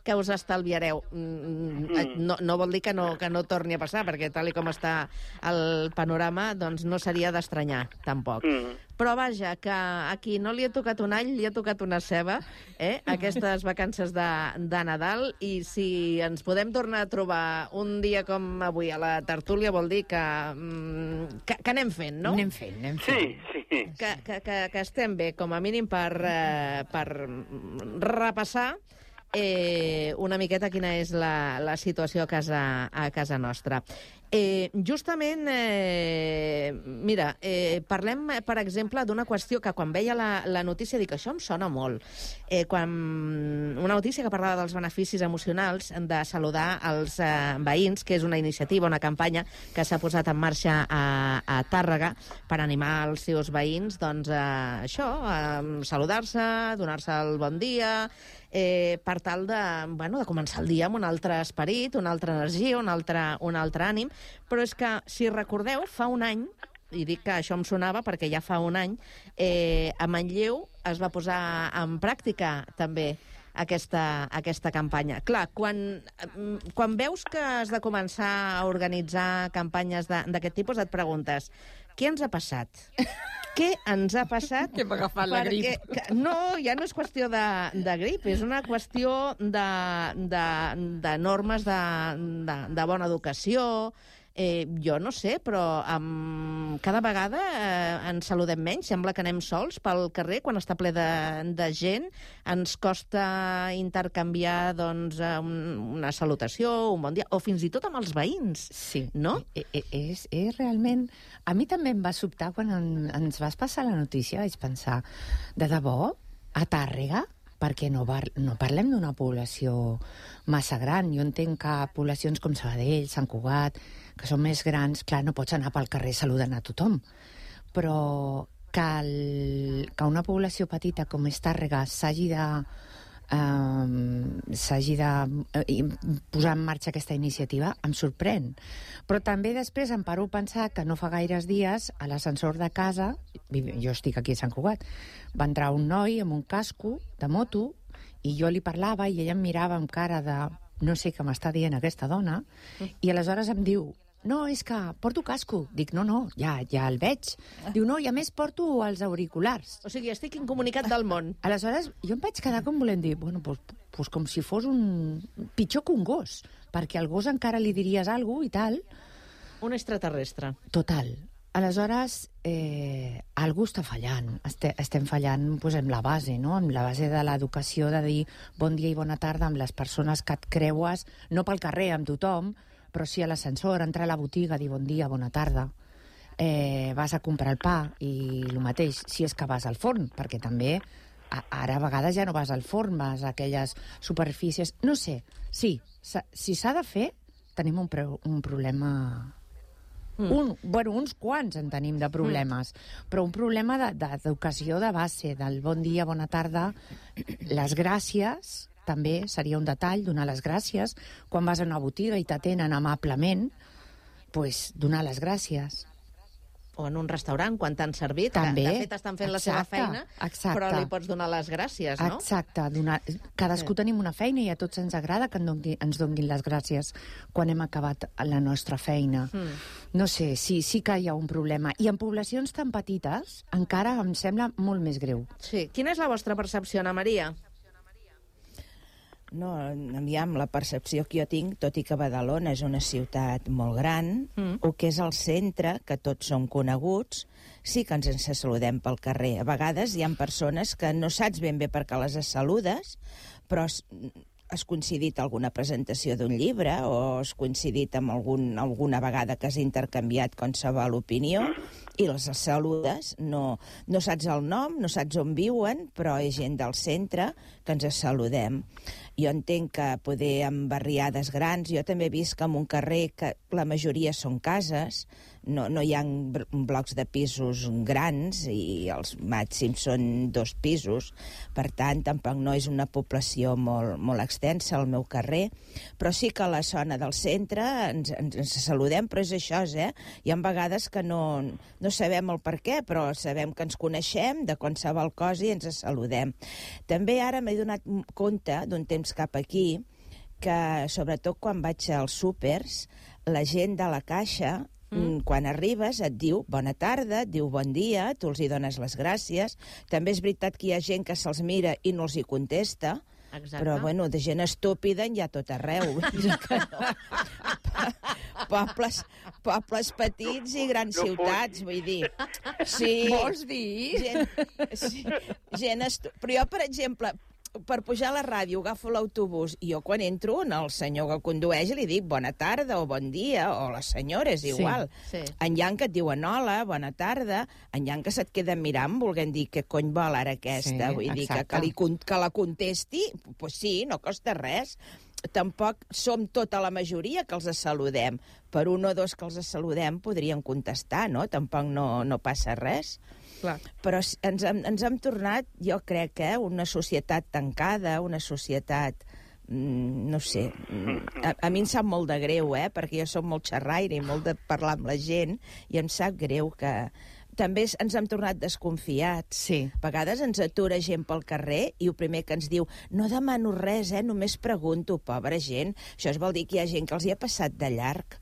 que us estalviareu. No, no vol dir que no, que no torni a passar, perquè tal i com està el panorama, doncs no seria d'estranyar, tampoc. Mm. Però vaja, que a qui no li ha tocat un all, li ha tocat una ceba, eh? Aquestes vacances de, de Nadal, i si ens podem tornar a trobar un dia com avui a la tertúlia, vol dir que, que, que anem fent, no? Anem fent, anem fent. Sí, sí. Que, que, que, que estem bé, com a mínim, per, eh, per repassar eh, una miqueta quina és la, la situació a casa, a casa nostra. Eh, justament, eh, mira, eh, parlem, per exemple, d'una qüestió que quan veia la, la notícia dic, això em sona molt. Eh, quan una notícia que parlava dels beneficis emocionals de saludar els eh, veïns, que és una iniciativa, una campanya que s'ha posat en marxa a, a Tàrrega per animar els seus veïns, doncs, a això, a saludar-se, donar-se el bon dia, eh, per tal de, bueno, de començar el dia amb un altre esperit, una altra energia, un altre, un altre ànim. Però és que, si recordeu, fa un any, i dic que això em sonava perquè ja fa un any, eh, a Manlleu es va posar en pràctica també aquesta, aquesta campanya. Clar, quan, quan veus que has de començar a organitzar campanyes d'aquest tipus, et preguntes, què ens ha passat? Què ens ha passat? Que m'ha agafat la grip. Que, no, ja no és qüestió de, de grip, és una qüestió de, de, de normes de, de, de bona educació. Eh, jo no sé, però um, cada vegada eh, ens saludem menys. Sembla que anem sols pel carrer quan està ple de, de gent. Ens costa intercanviar doncs, un, una salutació, un bon dia, o fins i tot amb els veïns. Sí, no? E -e és, és realment... A mi també em va sobtar quan en, ens vas passar la notícia. Vaig pensar, de debò, a Tàrrega? Perquè no, bar, no parlem d'una població massa gran. Jo entenc que poblacions com Sabadell, Sant Cugat, que són més grans, clar, no pots anar pel carrer saludant a tothom. Però que, el, que una població petita com és Tàrrega s'hagi de, um, s'hagi de uh, posar en marxa aquesta iniciativa em sorprèn. Però també després em paro a pensar que no fa gaires dies a l'ascensor de casa, jo estic aquí a Sant Cugat, va entrar un noi amb un casco de moto i jo li parlava i ella em mirava amb cara de no sé què m'està dient aquesta dona, i aleshores em diu, no, és que porto casco. Dic, no, no, ja, ja el veig. Diu, no, i a més porto els auriculars. O sigui, estic incomunicat del món. Aleshores, jo em vaig quedar com volent dir, bueno, pues, pues com si fos un... pitjor que un gos, perquè al gos encara li diries alguna cosa i tal. Un extraterrestre. Total. Aleshores, eh, algú està fallant. Este, estem fallant pues, amb la base, no? Amb la base de l'educació, de dir bon dia i bona tarda amb les persones que et creues, no pel carrer amb tothom, però sí a l'ascensor, entrar a la botiga, dir bon dia, bona tarda. Eh, vas a comprar el pa i el mateix, si és que vas al forn, perquè també ara a vegades ja no vas al forn, vas a aquelles superfícies... No sé, sí, si s'ha de fer, tenim un, pre un problema... Mm. Un, bueno, uns quants en tenim de problemes, mm. però un problema d'educació de, de base, del bon dia, bona tarda, les gràcies, també seria un detall, donar les gràcies. Quan vas a una botiga i t'atenen amablement, pues, donar les gràcies. O en un restaurant, quan t'han servit, també, que de fet estan fent exacte, la seva feina, exacte. Però li pots donar les gràcies, no? Exacte. Donar... Cadascú sí. tenim una feina i a tots ens agrada que ens donguin les gràcies quan hem acabat la nostra feina. Mm. No sé, sí, sí que hi ha un problema. I en poblacions tan petites encara em sembla molt més greu. Sí. Quina és la vostra percepció, Ana Maria? No, aviam, la percepció que jo tinc, tot i que Badalona és una ciutat molt gran, mm. o que és el centre, que tots som coneguts, sí que ens ens saludem pel carrer. A vegades hi ha persones que no saps ben bé per què les saludes, però has coincidit alguna presentació d'un llibre o has coincidit amb algun, alguna vegada que has intercanviat qualsevol opinió i les saludes, no, no saps el nom, no saps on viuen, però és gent del centre que ens saludem. Jo entenc que poder en barriades grans, jo també he vist que en un carrer que la majoria són cases, no, no hi ha blocs de pisos grans i els màxims són dos pisos, per tant, tampoc no és una població molt, molt extensa al meu carrer, però sí que a la zona del centre ens, ens, ens saludem, però és això, eh? Hi ha vegades que no, no sabem el per què, però sabem que ens coneixem de qualsevol cosa i ens saludem. També ara m'he donat compte d'un temps cap aquí que, sobretot quan vaig als súpers, la gent de la caixa, mm. quan arribes, et diu bona tarda, et diu bon dia, tu els hi dones les gràcies. També és veritat que hi ha gent que se'ls mira i no els hi contesta, exacte. Però, bueno, de gent estúpida hi ha tot arreu. Que no. Pobles, pobles petits i grans no ciutats, vull dir. Sí. Vols dir? Gent, sí, gent estu... Però jo, per exemple, per pujar a la ràdio agafo l'autobús i jo quan entro al senyor que condueix li dic bona tarda o bon dia, o la senyora, és igual. Sí, sí. En Jan que et diuen hola, bona tarda, en Jan que se't queda mirant volent dir què cony vol ara aquesta, sí, vull exacte. Dir que, que, li, que la contesti, pues sí, no costa res. Tampoc som tota la majoria que els saludem. Per un o dos que els saludem podrien contestar, no? Tampoc no, no passa res. Clar. Però ens hem, ens hem tornat, jo crec, eh, una societat tancada, una societat, mm, no sé, a, a mi em sap molt de greu, eh, perquè jo soc molt xerraire i molt de parlar amb la gent, i em sap greu que... També ens hem tornat desconfiats. Sí. A vegades ens atura gent pel carrer i el primer que ens diu no demano res, eh, només pregunto, pobra gent. Això es vol dir que hi ha gent que els hi ha passat de llarg.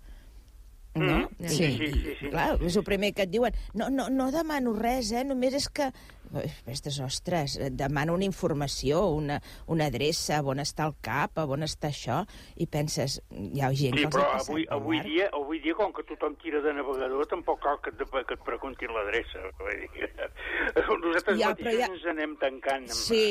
No? Mm. Sí. Sí, sí, sí. Clar, és el primer que et diuen no, no, no demano res, eh, només és que... Aquestes, ostres, demana una informació, una, una adreça, on està el cap, on està això, i penses, hi ha gent sí, que els ha passat avui, avui dia, avui dia, com que tothom tira de navegador, tampoc cal que et, que et preguntin l'adreça. Nosaltres ja, mateixos ja... ens anem tancant. Amb... Sí,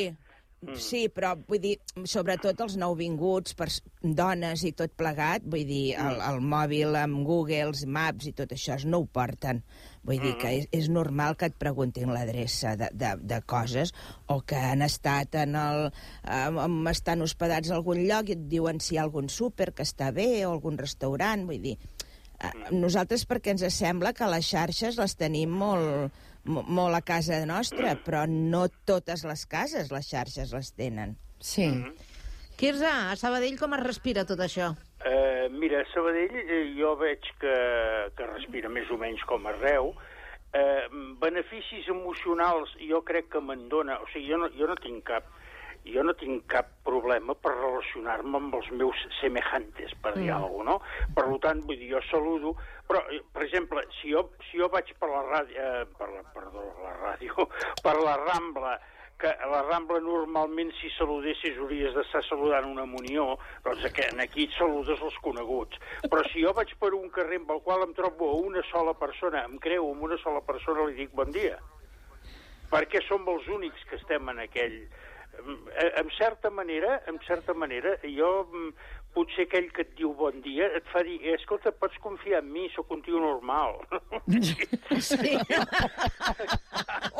Mm. Sí, però vull dir, sobretot els nouvinguts, per dones i tot plegat, vull dir, el, el mòbil amb Google, els Maps i tot això, no ho porten. Vull dir que és, és normal que et preguntin l'adreça de, de, de coses, o que han estat en el... Um, estan hospedats a algun lloc i et diuen si hi ha algun súper que està bé o algun restaurant, vull dir... Nosaltres perquè ens sembla que les xarxes les tenim molt, molt a casa nostra, però no totes les cases les xarxes les tenen. Sí. Mm-hmm. Quirze, a Sabadell com es respira tot això? Uh, mira, a Sabadell eh, jo veig que, que respira més o menys com arreu. Uh, beneficis emocionals jo crec que me'n dona... O sigui, jo no, jo no tinc cap... Jo no tinc cap problema per relacionar-me amb els meus semejantes, per dir mm. alguna cosa, no? Per tant, vull dir, jo saludo, però, per exemple, si jo, si jo vaig per la ràdio, eh, per la, perdó, la ràdio, per la Rambla, que a la Rambla normalment si saludessis hauries d'estar saludant una munió, doncs aquí et saludes els coneguts. Però si jo vaig per un carrer amb el qual em trobo a una sola persona, em creu amb una sola persona, li dic bon dia. Perquè som els únics que estem en aquell... En certa manera, en certa manera, jo potser aquell que et diu bon dia et fa dir, eh, escolta, pots confiar en mi, sóc un tio normal. Sí.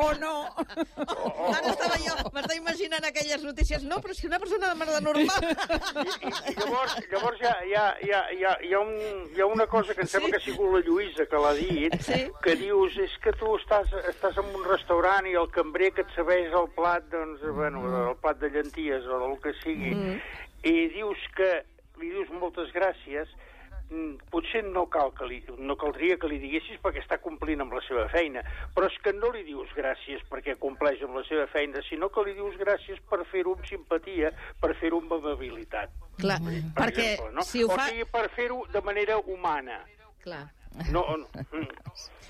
O no. Ara estava jo, m'estava imaginant aquelles notícies. No, però si una persona de merda normal. I, i, i llavors, llavors hi, ha, hi, ha, hi, ha, hi, ha, hi, ha un, hi ha una cosa que em sembla que ha sigut la Lluïsa que l'ha dit, sí. Que dius, és que tu estàs, estàs en un restaurant i el cambrer que et serveix el plat, doncs, bueno, el plat de llenties o el que sigui, mm. i dius que li dius moltes gràcies, potser no, cal que li, no caldria que li diguessis perquè està complint amb la seva feina, però és que no li dius gràcies perquè compleix amb la seva feina, sinó que li dius gràcies per fer-ho amb simpatia, per fer-ho amb amabilitat. Clar, per perquè exemple, no? Si ho fa... O sigui, per fer-ho de manera humana. Clar. No, no.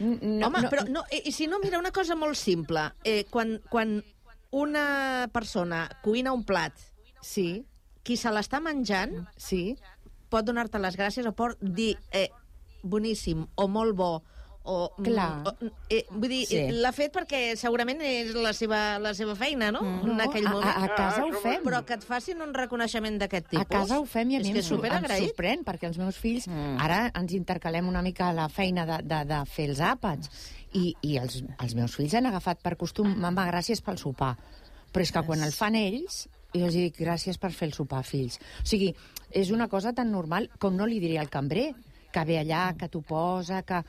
no Home, no, però no, i, i si no, mira, una cosa molt simple. Eh, quan, quan una persona cuina un plat, sí, qui se l'està menjant, sí, pot donar-te les gràcies o pot dir eh, boníssim o molt bo o... Clar. O, eh, vull dir, sí. L'ha fet perquè segurament és la seva, la seva feina, no? Mm. En aquell no, moment. A, a casa ah, ho fem. Però que et facin un reconeixement d'aquest tipus. A casa ho fem i a mi em, em sorprèn, perquè els meus fills... Mm. Ara ens intercalem una mica la feina de, de, de fer els àpats i, i els, els meus fills han agafat per costum, mama, gràcies pel sopar. Però és que quan el fan ells... I els dic, gràcies per fer el sopar, fills. O sigui, és una cosa tan normal com no li diria al cambrer, que ve allà, que t'ho posa, que...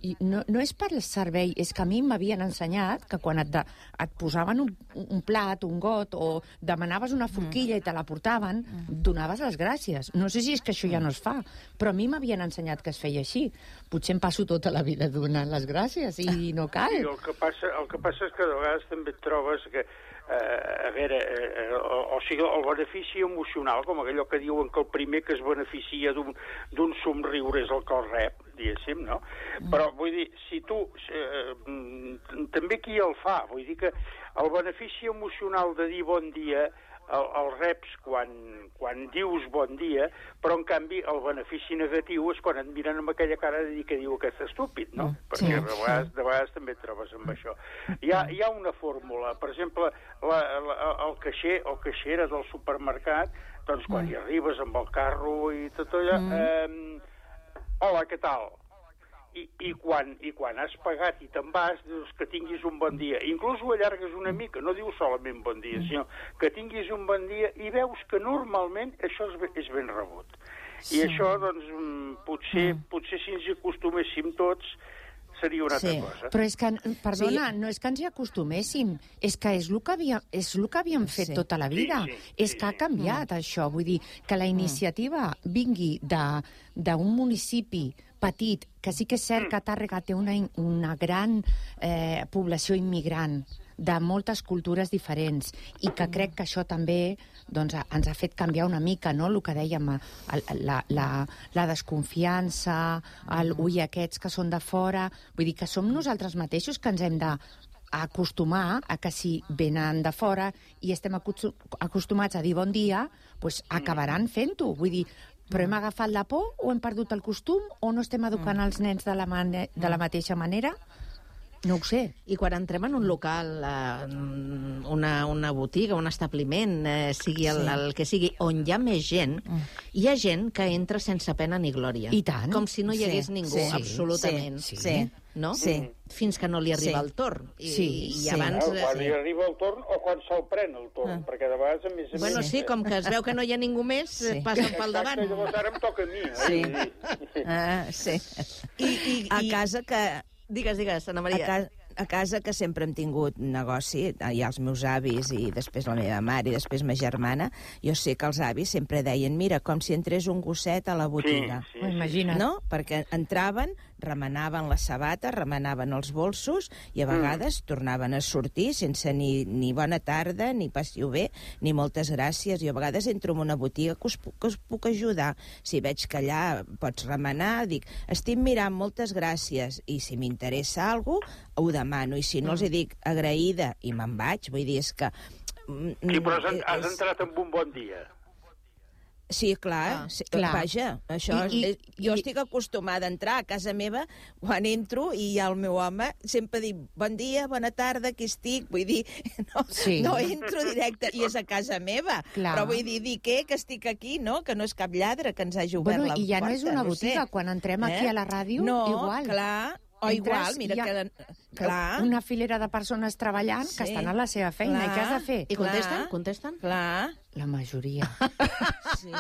I no, no és per el servei, és que a mi m'havien ensenyat que quan et, de, et posaven un, un plat, un got, o demanaves una forquilla i te la portaven, donaves les gràcies. No sé si és que això ja no es fa, però a mi m'havien ensenyat que es feia així. Potser em passo tota la vida donant les gràcies i no cal. Sí, el que passa, el que passa és que de vegades també et trobes que Uh, a veure, uh, o, o sigui, el benefici emocional, com allò que diuen que el primer que es beneficia d'un somriure és el que el rep, diguéssim, no? Mm. Però, vull dir, si tu... Uh, també qui el fa? Vull dir que el benefici emocional de dir bon dia el, el reps quan, quan dius bon dia, però en canvi el benefici negatiu és quan et miren amb aquella cara de dir que diu aquest estúpid, no? Sí, perquè de vegades, de vegades també et trobes amb això. Hi ha, hi ha una fórmula, per exemple, la, la, el caixer o caixera del supermercat, doncs quan mm. hi arribes amb el carro i tot allò, mm. eh, hola, què tal? I, i, quan, i quan has pagat i te'n vas, dius que tinguis un bon dia. Inclús ho allargues una mica, no dius solament bon dia, sinó que tinguis un bon dia i veus que normalment això és, és ben rebut. I sí. Això, doncs, potser, mm. potser si ens hi acostuméssim tots, seria una altra sí. cosa. Però és que, perdona, sí. no és que ens hi acostuméssim, és que és el que havíem, és el que havíem fet sí. tota la vida. Sí, sí, és sí, que ha canviat, mm. això. Vull dir, que la iniciativa vingui d'un municipi petit, que sí que és cert que Tàrrega té una, una gran eh, població immigrant de moltes cultures diferents i que crec que això també doncs, ens ha fet canviar una mica, no?, el que dèiem, la, la, la desconfiança, el ui, aquests que són de fora... Vull dir que som nosaltres mateixos que ens hem de acostumar a que si venen de fora i estem acostumats a dir bon dia, doncs acabaran fent-ho. Vull dir, però hem agafat la por o hem perdut el costum o no estem educant els nens de la, mane de la mateixa manera? No ho sé. I quan entrem en un local, eh, una, una botiga, un establiment, eh, sigui el, sí. el que sigui, on hi ha més gent, mm. hi ha gent que entra sense pena ni glòria. I tant. Com si no hi hagués sí. ningú, sí. absolutament. Sí. sí. No? Sí. Fins que no li arriba sí. el torn. I, sí. i sí. abans... No, quan li arriba el torn o quan se'l pren el torn, ah. perquè de vegades a més a bueno, més... sí, com que es veu que no hi ha ningú més, sí. passen pel davant. Exacte, llavors ara em toca a mi. Eh? Sí. Ah, sí. I, i, a casa que... Digues, digues, Anna Maria. A, ca a casa que sempre hem tingut negoci, hi ha els meus avis i després la meva mare i després ma germana, jo sé que els avis sempre deien, mira, com si entrés un gosset a la botiga. Sí, sí, sí. Imagina't. No? Perquè entraven, remenaven les sabates, remenaven els bolsos i a vegades mm. tornaven a sortir sense ni, ni bona tarda, ni passiu bé, ni moltes gràcies. Jo a vegades entro en una botiga que us, que us puc ajudar. Si veig que allà pots remenar, dic, estic mirant, moltes gràcies, i si m'interessa alguna cosa, ho demano, i si no els hi dic agraïda i me'n vaig, vull dir, és que... Sí, però has, has entrat amb un bon dia. Sí, clar, Ah, sí, clar. vaja, això... I- i- és, jo i- estic acostumada a entrar a casa meva, quan entro, i hi ha el meu home, sempre dic, bon dia, bona tarda, aquí estic, vull dir, no, Sí. no entro directe, i és a casa meva, Clar. però vull dir, dir què, que estic aquí, no?, que no és cap lladre que ens hagi obert Bueno, la i ja porta, no és una no botiga, sé. quan entrem aquí a la ràdio, no, igual. clar, o Entres igual, mira i hi ha que... Clar. Una filera de persones treballant que Sí. estan a la seva feina. Clar. I què has de fer? I contesten? Clar. Contesten? Clar. La majoria. Sí.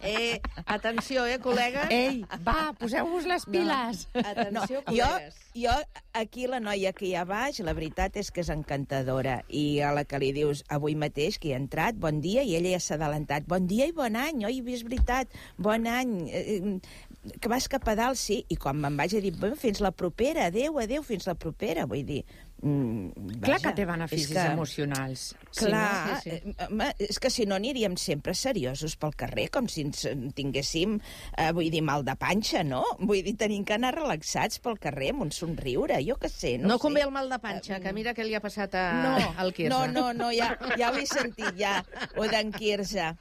Eh, atenció, eh, col·lega? Ei, va, poseu-vos les piles. jo, Atenció, col·legues. jo, aquí la noia que hi ha baix, la veritat és que és encantadora. I a la que li dius avui mateix que hi ha entrat, bon dia, i ella ja s'ha adelantat. Bon dia i bon any, oi, és veritat, bon any. Eh, eh, que vas cap a dalt, sí. I quan me'n vaig a dir, "Bé, fins la propera, adéu, adéu, fins la propera, vull dir... Mm, Clar vaja, que té beneficis és que- emocionals. Clar, Sí, no? Sí, sí. eh, home, és que si no aniríem sempre seriosos pel carrer, com si ens en tinguéssim, eh, vull dir, mal de panxa, no? Vull dir, tenim que anar relaxats pel carrer amb un somriure, jo què sé, no, No sé. convé el mal de panxa, que mira què li ha passat a, No, al Quirze. no, no, no, ja, ja ho he sentit, ja, o d'en Quirze.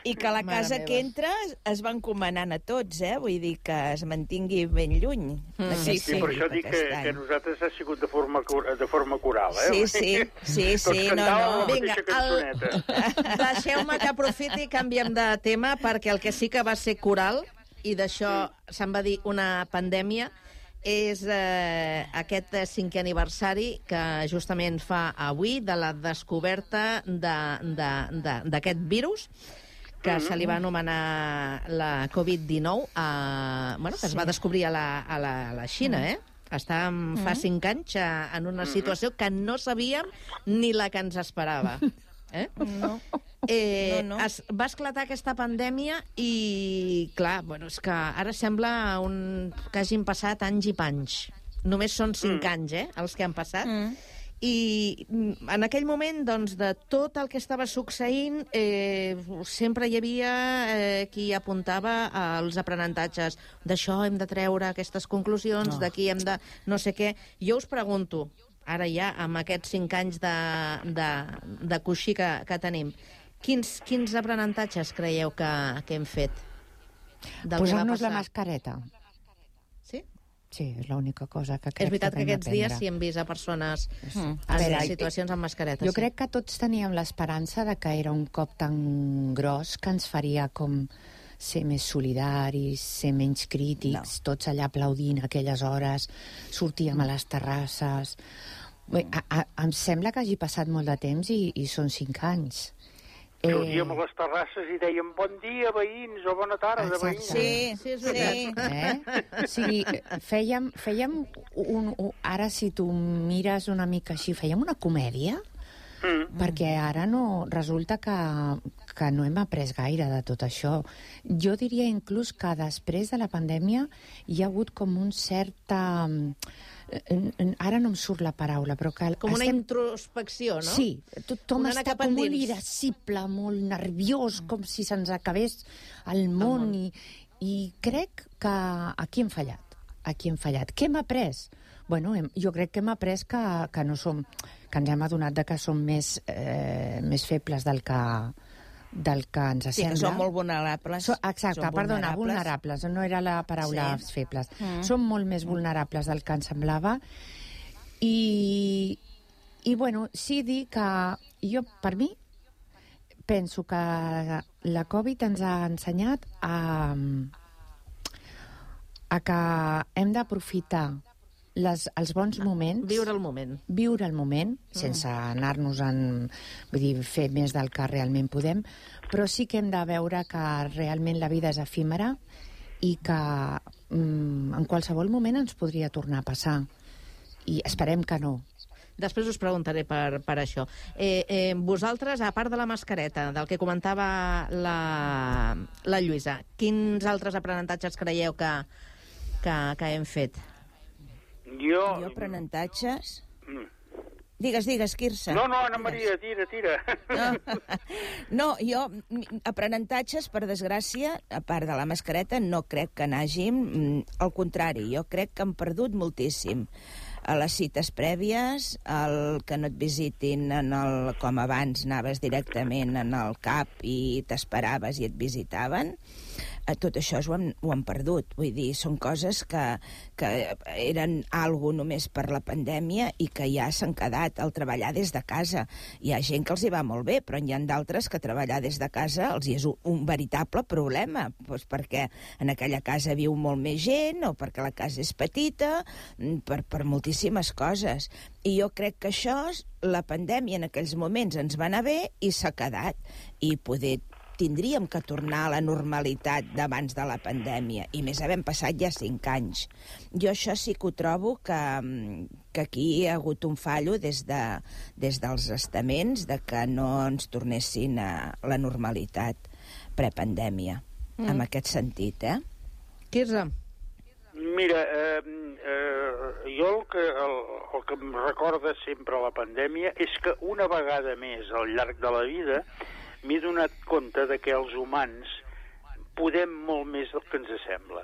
I que la Mare casa meva. que entra es va encomanant a tots, eh? Vull dir que es mantingui ben lluny. Mm. Sí, sí, per això dic que, que nosaltres ha sigut de forma, cur- de forma coral, eh? Sí, sí, sí, sí, Tots no, cantàvem no. la Vinga, mateixa el- cançoneta. Deixeu-me que aprofiti i canviem de tema, perquè el que sí que va ser coral, i d'això se'n va dir una pandèmia, és eh, aquest eh, cinquè aniversari que justament fa avui de la descoberta d'aquest virus, que se li va anomenar la covid dinou, a, bueno, que es va descobrir a la, a la, a la Xina, eh? Estàvem fa cinc anys eh, en una situació que no sabíem ni la que ens esperava. Eh? No. Eh, No, no. Es, va esclatar aquesta pandèmia i, clar, bueno, és que ara sembla un, que hagin passat anys i panys. Només són cinc mm. anys, eh, els que han passat. Mm. I mm, en aquell moment, doncs, de tot el que estava succeint, eh, sempre hi havia eh, qui apuntava als aprenentatges. D'això hem de treure aquestes conclusions, No. d'aquí hem de... no sé què. Jo us pregunto, ara ja, amb aquests cinc anys de, de, de coixí que, que tenim, quins, quins aprenentatges creieu que, que hem fet? del que va Posar-nos la passar? mascareta. Sí? Sí, és l'única cosa que crec És veritat que que hem aquests dies d'aprendre. sí hem vist a persones Mm. en veure, situacions amb mascareta. Jo sí. crec que tots teníem l'esperança de que era un cop tan gros que ens faria com ser més solidaris, ser menys crítics, no. tots allà aplaudint a aquelles hores, sortíem a les terrasses... Bé, a, a, em sembla que hagi passat molt de temps i, i són cinc anys. Sortíem a les terrasses i dèiem bon dia, veïns, o bona tarda, veïns. Sí, sí, és veritat. Eh? O sigui, fèiem, fèiem un, un... Ara, si tu mires una mica així, fèiem una comèdia, mm. perquè ara no... Resulta que, que no hem après gaire de tot això. Jo diria inclús que després de la pandèmia hi ha hagut com un cert... Um, ara no em surt la paraula, però que... Com una estem... introspecció, no? Sí, tothom Un anar està cap com molt endins. irascible, molt nerviós, com si se'ns acabés el món, i, i crec que aquí hem fallat, aquí hem fallat. Què hem après? Bueno, hem, jo crec que hem après que, que no som, que ens hem adonat de que som més, eh, més febles del que, del que ens Sí, sembla. que són molt vulnerables. So, exacte, Són perdona, vulnerables. vulnerables, no era la paraula Sí. febles. Mm. Som molt més vulnerables del que ens semblava i, i bueno, sí dir que jo, per mi, penso que la Covid ens ha ensenyat a, a que hem d'aprofitar les, els bons moments... Viure el moment. Viure el moment, sense anar-nos en... Vull dir, fer més del que realment podem, però sí que hem de veure que realment la vida és efímera i que mm, en qualsevol moment ens podria tornar a passar. I esperem que no. Després us preguntaré per, per això. Eh, eh, vosaltres, a part de la mascareta, del que comentava la, la Lluïsa, quins altres aprenentatges creieu que, que, que hem fet? Jo... Jo aprenentatges... Mm. Digues, digues, Quirze. No, no, Anna Maria, tira, tira. No, no jo, mm, aprenentatges, per desgràcia, a part de la mascareta, no crec que n'hàgim. mm, Al contrari, jo crec que hem perdut moltíssim. a les cites prèvies, el que no et visitin en el, com abans anaves directament en el C A P i t'esperaves i et visitaven. Tot això ho hem, ho hem perdut. Vull dir, són coses que, que eren algo només per la pandèmia i que ja s'han quedat. El treballar des de casa. Hi ha gent que els hi va molt bé, però hi ha d'altres que treballar des de casa els hi és un, un veritable problema, doncs perquè en aquella casa viu molt més gent o perquè la casa és petita, per, per moltíssimes coses. I jo crec que això, la pandèmia en aquells moments ens va anar bé i s'ha quedat. I poder tindríem que tornar a la normalitat d'abans de la pandèmia, i més havent passat ja cinc anys. Jo això sí que ho trobo que, que aquí hi ha hagut un fallo des, de, des dels estaments de que no ens tornessin a la normalitat prepandèmia, mm. en aquest sentit, eh? Quirze? Mira, eh, eh, jo el que, el, el que em recorda sempre la pandèmia és que una vegada més al llarg de la vida m'he donat compte de que els humans podem molt més del que ens sembla.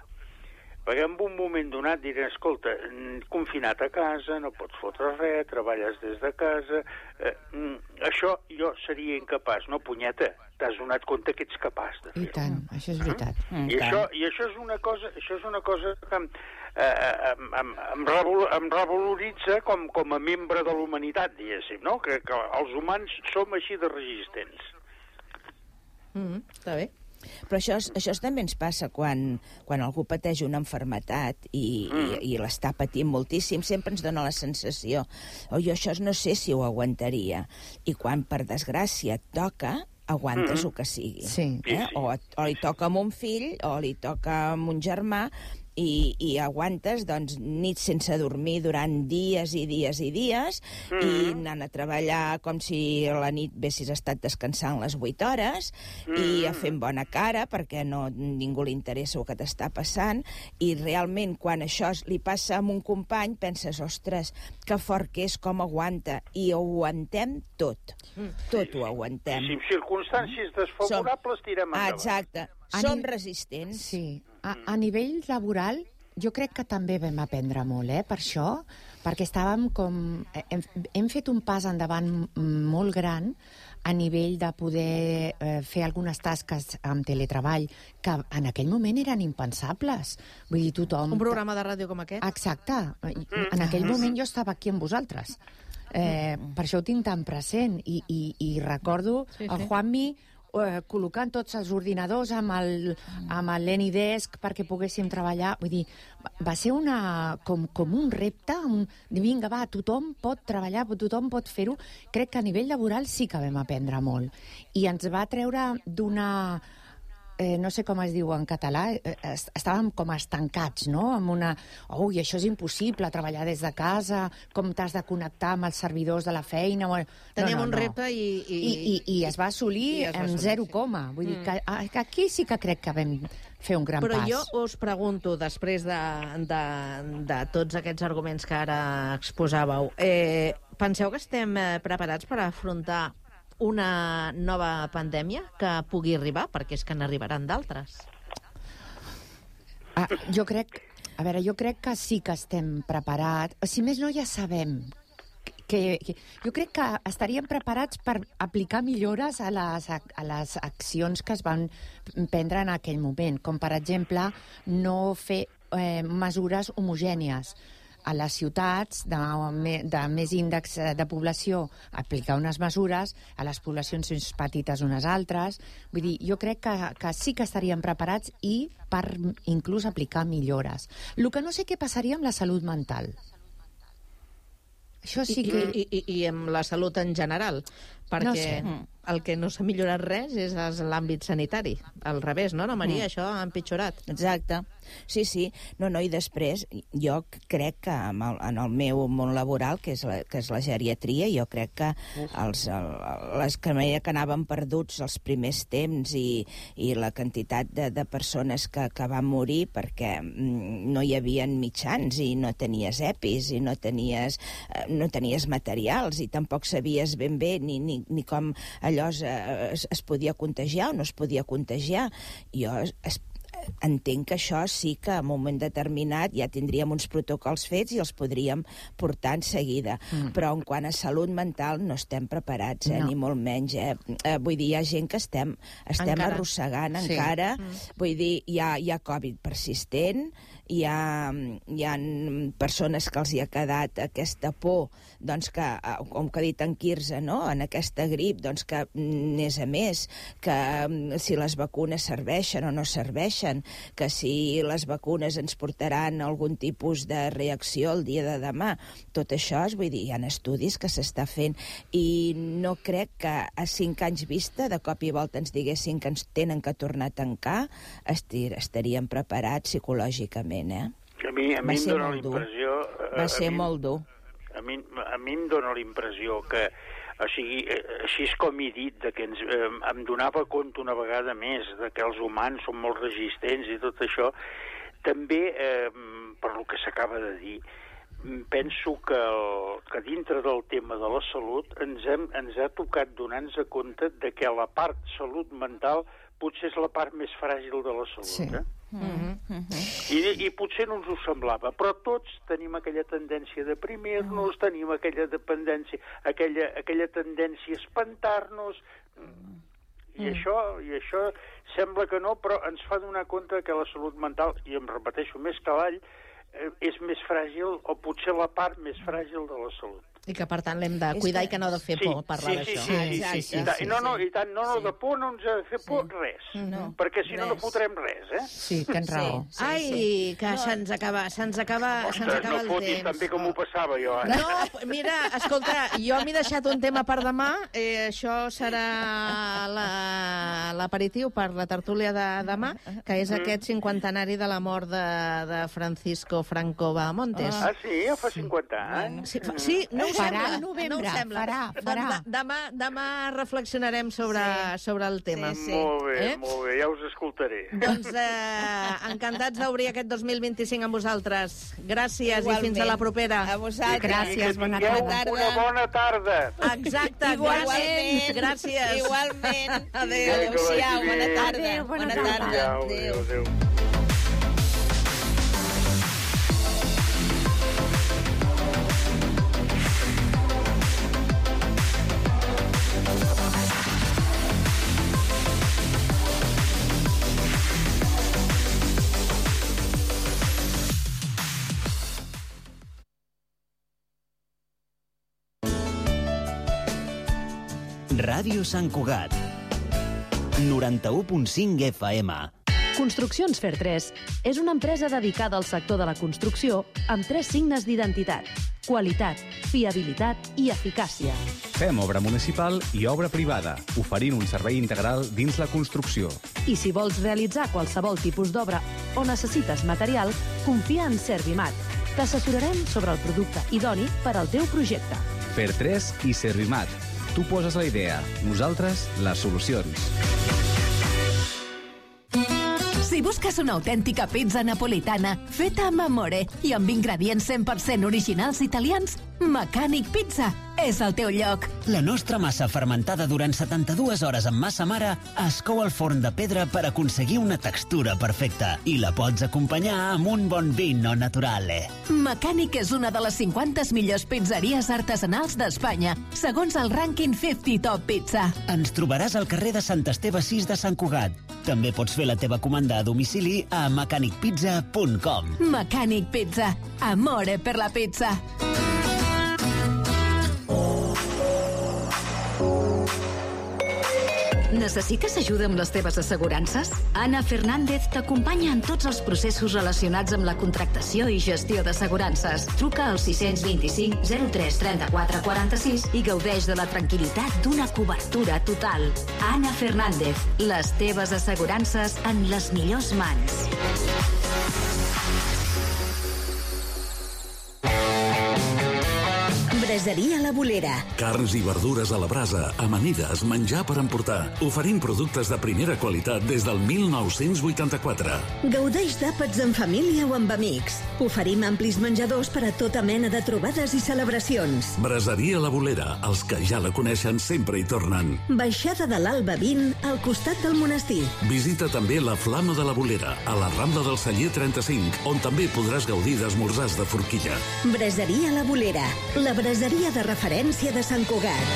Perquè en un moment donat diré, escolta, confinat a casa, no pots fotre res, treballes des de casa... Eh, això jo seria incapaç, no, punyeta? T'has donat compte que ets capaç de fer-ho. I tant, això és veritat. Mm. I, això, I això és una cosa, això és una cosa que em, eh, em, em, em, revol, em revaloritza com, com a membre de la humanitat, diguéssim, no? Que, que els humans som així de resistents. Mm, està bé. Però això, això també ens passa quan, quan algú pateix una malaltia i, mm. i, i l'està patint moltíssim, sempre ens dona la sensació oh, jo això no sé si ho aguantaria, i quan per desgràcia et toca aguantes mm. el que sigui, sí. eh? o, o li toca amb un fill o li toca amb un germà i, i aguantes doncs, nits sense dormir durant dies i dies i dies mm. i anant a treballar com si a la nit haguessis estat descansant les vuit hores mm. i a fent bona cara perquè no, ningú li interessa el que t'està passant, i realment quan això li passa a un company penses, ostres, que fort que és, com aguanta, i ho aguantem tot, mm. tot ho aguantem. Si en circumstàncies desfavorables tirem endavant. Exacte, som resistents. Sí. A, a nivell laboral, jo crec que també vam aprendre molt, eh, per això, perquè estàvem com... Hem, hem fet un pas endavant molt gran a nivell de poder eh, fer algunes tasques amb teletreball que en aquell moment eren impensables. Vull dir, tothom... Un programa de ràdio com aquest? Exacte. En aquell moment jo estava aquí amb vosaltres. Eh, per això ho tinc tan present. I, i, i recordo sí, sí. el Juanmi eh, col·locant tots els ordinadors amb el, amb l'Anydesk perquè poguéssim treballar. Vull dir, va ser una, com, com un repte, un, vinga, va, tothom pot treballar, tothom pot fer-ho. Crec que a nivell laboral sí que vam aprendre molt. I ens va treure d'una... Eh, no sé com es diu en català, eh, estàvem com estancats, no? Amb una... Ui, això és impossible, treballar des de casa, com t'has de connectar amb els servidors de la feina... No, Teníem no, no, un repte i... I, I, i, i es va assolir es va en assolir, zero sí. coma. Vull Mm. dir que, que aquí sí que crec que vam fer un gran Però pas. jo us pregunto, després de, de, de tots aquests arguments que ara exposàveu, eh, penseu que estem eh, preparats per afrontar una nova pandèmia que pugui arribar, perquè és que n'arribaran d'altres? Ah, jo crec, a veure, jo crec que sí que estem preparats. Si més no, ja sabem que, que jo crec que estaríem preparats per aplicar millores a les, a les accions que es van prendre en aquell moment, com per exemple no fer eh, mesures homogènies a les ciutats de, de més índex de població, aplicar unes mesures, a les poblacions més petites unes altres. Vull dir, jo crec que, que sí que estaríem preparats i per inclús aplicar millores. El que no sé què passaria amb la salut mental. Això sí que... I, i, i amb la salut en general, perquè no sé. el que no s'ha millorat res és l'àmbit sanitari. Al revés, no, no Maria? Mm. Això ha empitjorat. Exacte. Sí, sí. No, no, i després jo crec que en el, en el meu món laboral, que és la, que és la geriatria, jo crec que els, el, les que que anaven perduts els primers temps i, i la quantitat de, de persones que, que van morir perquè no hi havia mitjans i no tenies epis i no tenies, no tenies materials i tampoc sabies ben bé ni, ni, ni com allò es, es, es podia contagiar o no es podia contagiar. Jo es, entenc que això sí que en un moment determinat ja tindríem uns protocols fets i els podríem portar en seguida. Mm. Però en quant a salut mental no estem preparats, eh? No. Ni molt menys. Eh? Eh, vull dir, hi ha gent que estem, estem encara. arrossegant sí. encara. Mm. Vull dir, hi ha, hi ha Covid persistent, hi ha, hi ha persones que els hi ha quedat aquesta por, doncs que, com que ha dit en Quirze, no? En aquesta grip, doncs que més a més, que si les vacunes serveixen o no serveixen, que si les vacunes ens portaran algun tipus de reacció el dia de demà. Tot això, és, vull dir, hi ha estudis que s'està fent i no crec que a cinc anys vista, de cop i volta ens diguessin que ens tenen que tornar a tancar, estaríem preparats psicològicament. Eh? A mi, a mi em dóna la impressió... Va ser molt dur. A mi, a mi em dóna la impressió que, o sigui, així és com he dit, de que ens, eh, em donava compte una vegada més de que els humans són molt resistents i tot això. També, eh, per lo que s'acaba de dir, penso que, el, que dintre del tema de la salut ens, hem, ens ha tocat donar-nos compte de que la part salut mental potser és la part més fràgil de la salut. Sí. Eh? Mm-hmm. Mm-hmm. I, I potser no ens ho semblava, però tots tenim aquella tendència a deprimir-nos, mm. tenim aquella dependència, aquella, aquella tendència a espantar-nos, mm. i, això, i això sembla que no, però ens fa donar compte que la salut mental, i em repeteixo més que avall, eh, és més fràgil, o potser la part més fràgil de la salut. I que, per tant, l'hem de cuidar que... i que no ha de fer por sí, parlar sí, d'això. Sí, sí, sí, sí, sí, sí, sí. No, no, i tant, no, no, de por no ens ha de fer por sí. res, no. perquè si res. no, no fotrem res, eh? Sí, tens raó. Sí, sí, Ai, sí. que no. se'ns acaba, se'ns acaba, Ostres, se'ns acaba no el fotis temps. també com ho passava jo. Eh? No, mira, escolta, jo m'he deixat un tema per demà, eh, això serà l'aperitiu per la tertúlia de demà, que és mm. aquest cinquantenari de la mort de, de Francisco Franco Bahamontes. Ah, sí? Ja fa cinquanta anys? Sí, sí no ho farà sembla. novembre, no ho sembla. farà, farà. Doncs demà, demà reflexionarem sobre, sí. sobre el tema. Sí, sí. Molt bé, eh? molt bé, ja us escoltaré. Doncs eh, encantats d'obrir aquest dos mil vint-i-cinc amb vosaltres. Gràcies. Igualment. I fins a la propera. A vosaltres. Gràcies, bona tarda. Una bona tarda. Exacte, gràcies. Gràcies. Igualment. Adéu, adéu-siau, bona tarda. Adéu, bona, bona tarda. tarda. Adéu, adéu. Ràdio Sant Cugat, noranta-u punt cinc F M. Construccions Fertres és una empresa dedicada al sector de la construcció amb tres signes d'identitat: qualitat, fiabilitat i eficàcia. Fem obra municipal i obra privada, oferint un servei integral dins la construcció. I si vols realitzar qualsevol tipus d'obra o necessites material, confia en Servimat. T'assessorarem sobre el producte idoni per al teu projecte. Fertres i Servimat. Tu poses la idea, nosaltres les solucions. Si busques una autèntica pizza napolitana feta amb amore i amb ingredients cent per cent originals italians, Mecànic Pizza és el teu lloc. La nostra massa fermentada durant setanta-dues hores amb massa mare es cou al forn de pedra per aconseguir una textura perfecta i la pots acompanyar amb un bon vino naturale. Mecànic és una de les cinquanta millors pizzeries artesanals d'Espanya, segons el rànquing cinquanta Top Pizza. Ens trobaràs al carrer de Sant Esteve sis de Sant Cugat. També pots fer la teva comanda a domicili a mecànic pizza punt com. Mecànic Pizza. Amore per la pizza. Necessites ajuda amb les teves assegurances? Ana Fernández t'acompanya en tots els processos relacionats amb la contractació i gestió d'assegurances. Truca al sis dos cinc zero tres trenta-quatre quaranta-sis i gaudeix de la tranquil·litat d'una cobertura total. Ana Fernández, les teves assegurances en les millors mans. Braseria La Bolera. Carns i verdures a la brasa, amanides, menjar per emportar. Oferim productes de primera qualitat des del mil nou-cents vuitanta-quatre. Gaudeix d'àpats en família o amb amics. Oferim amplis menjadors per a tota mena de trobades i celebracions. Braseria La Bolera. Els que ja la coneixen sempre hi tornen. Baixada de l'Alba vint, al costat del monestir. Visita també la Flama de la Bolera, a la Rambla del Celler trenta-cinc, on també podràs gaudir d'esmorzars de forquilla. Braseria La Bolera, la braseria de referència de Sant Cugat.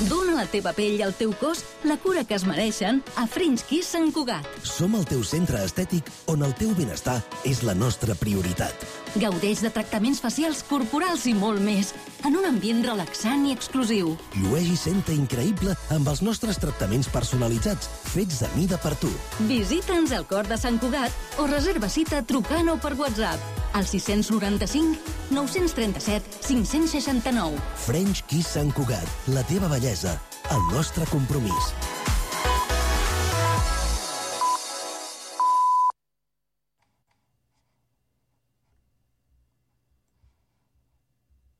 Dóna a la teva pell i al teu cos la cura que es mereixen a French Kiss Sant Cugat. Som el teu centre estètic on el teu benestar és la nostra prioritat. Gaudeix de tractaments facials, corporals i molt més, en un ambient relaxant i exclusiu. Llueix i senta increïble amb els nostres tractaments personalitzats, fets a mida per tu. Visita'ns al cor de Sant Cugat o reserva cita trucant o per WhatsApp al sis noranta-cinc nou trenta-set cinc seixanta-nou. French Kiss Sant Cugat, la teva bellesa, el nostre compromís.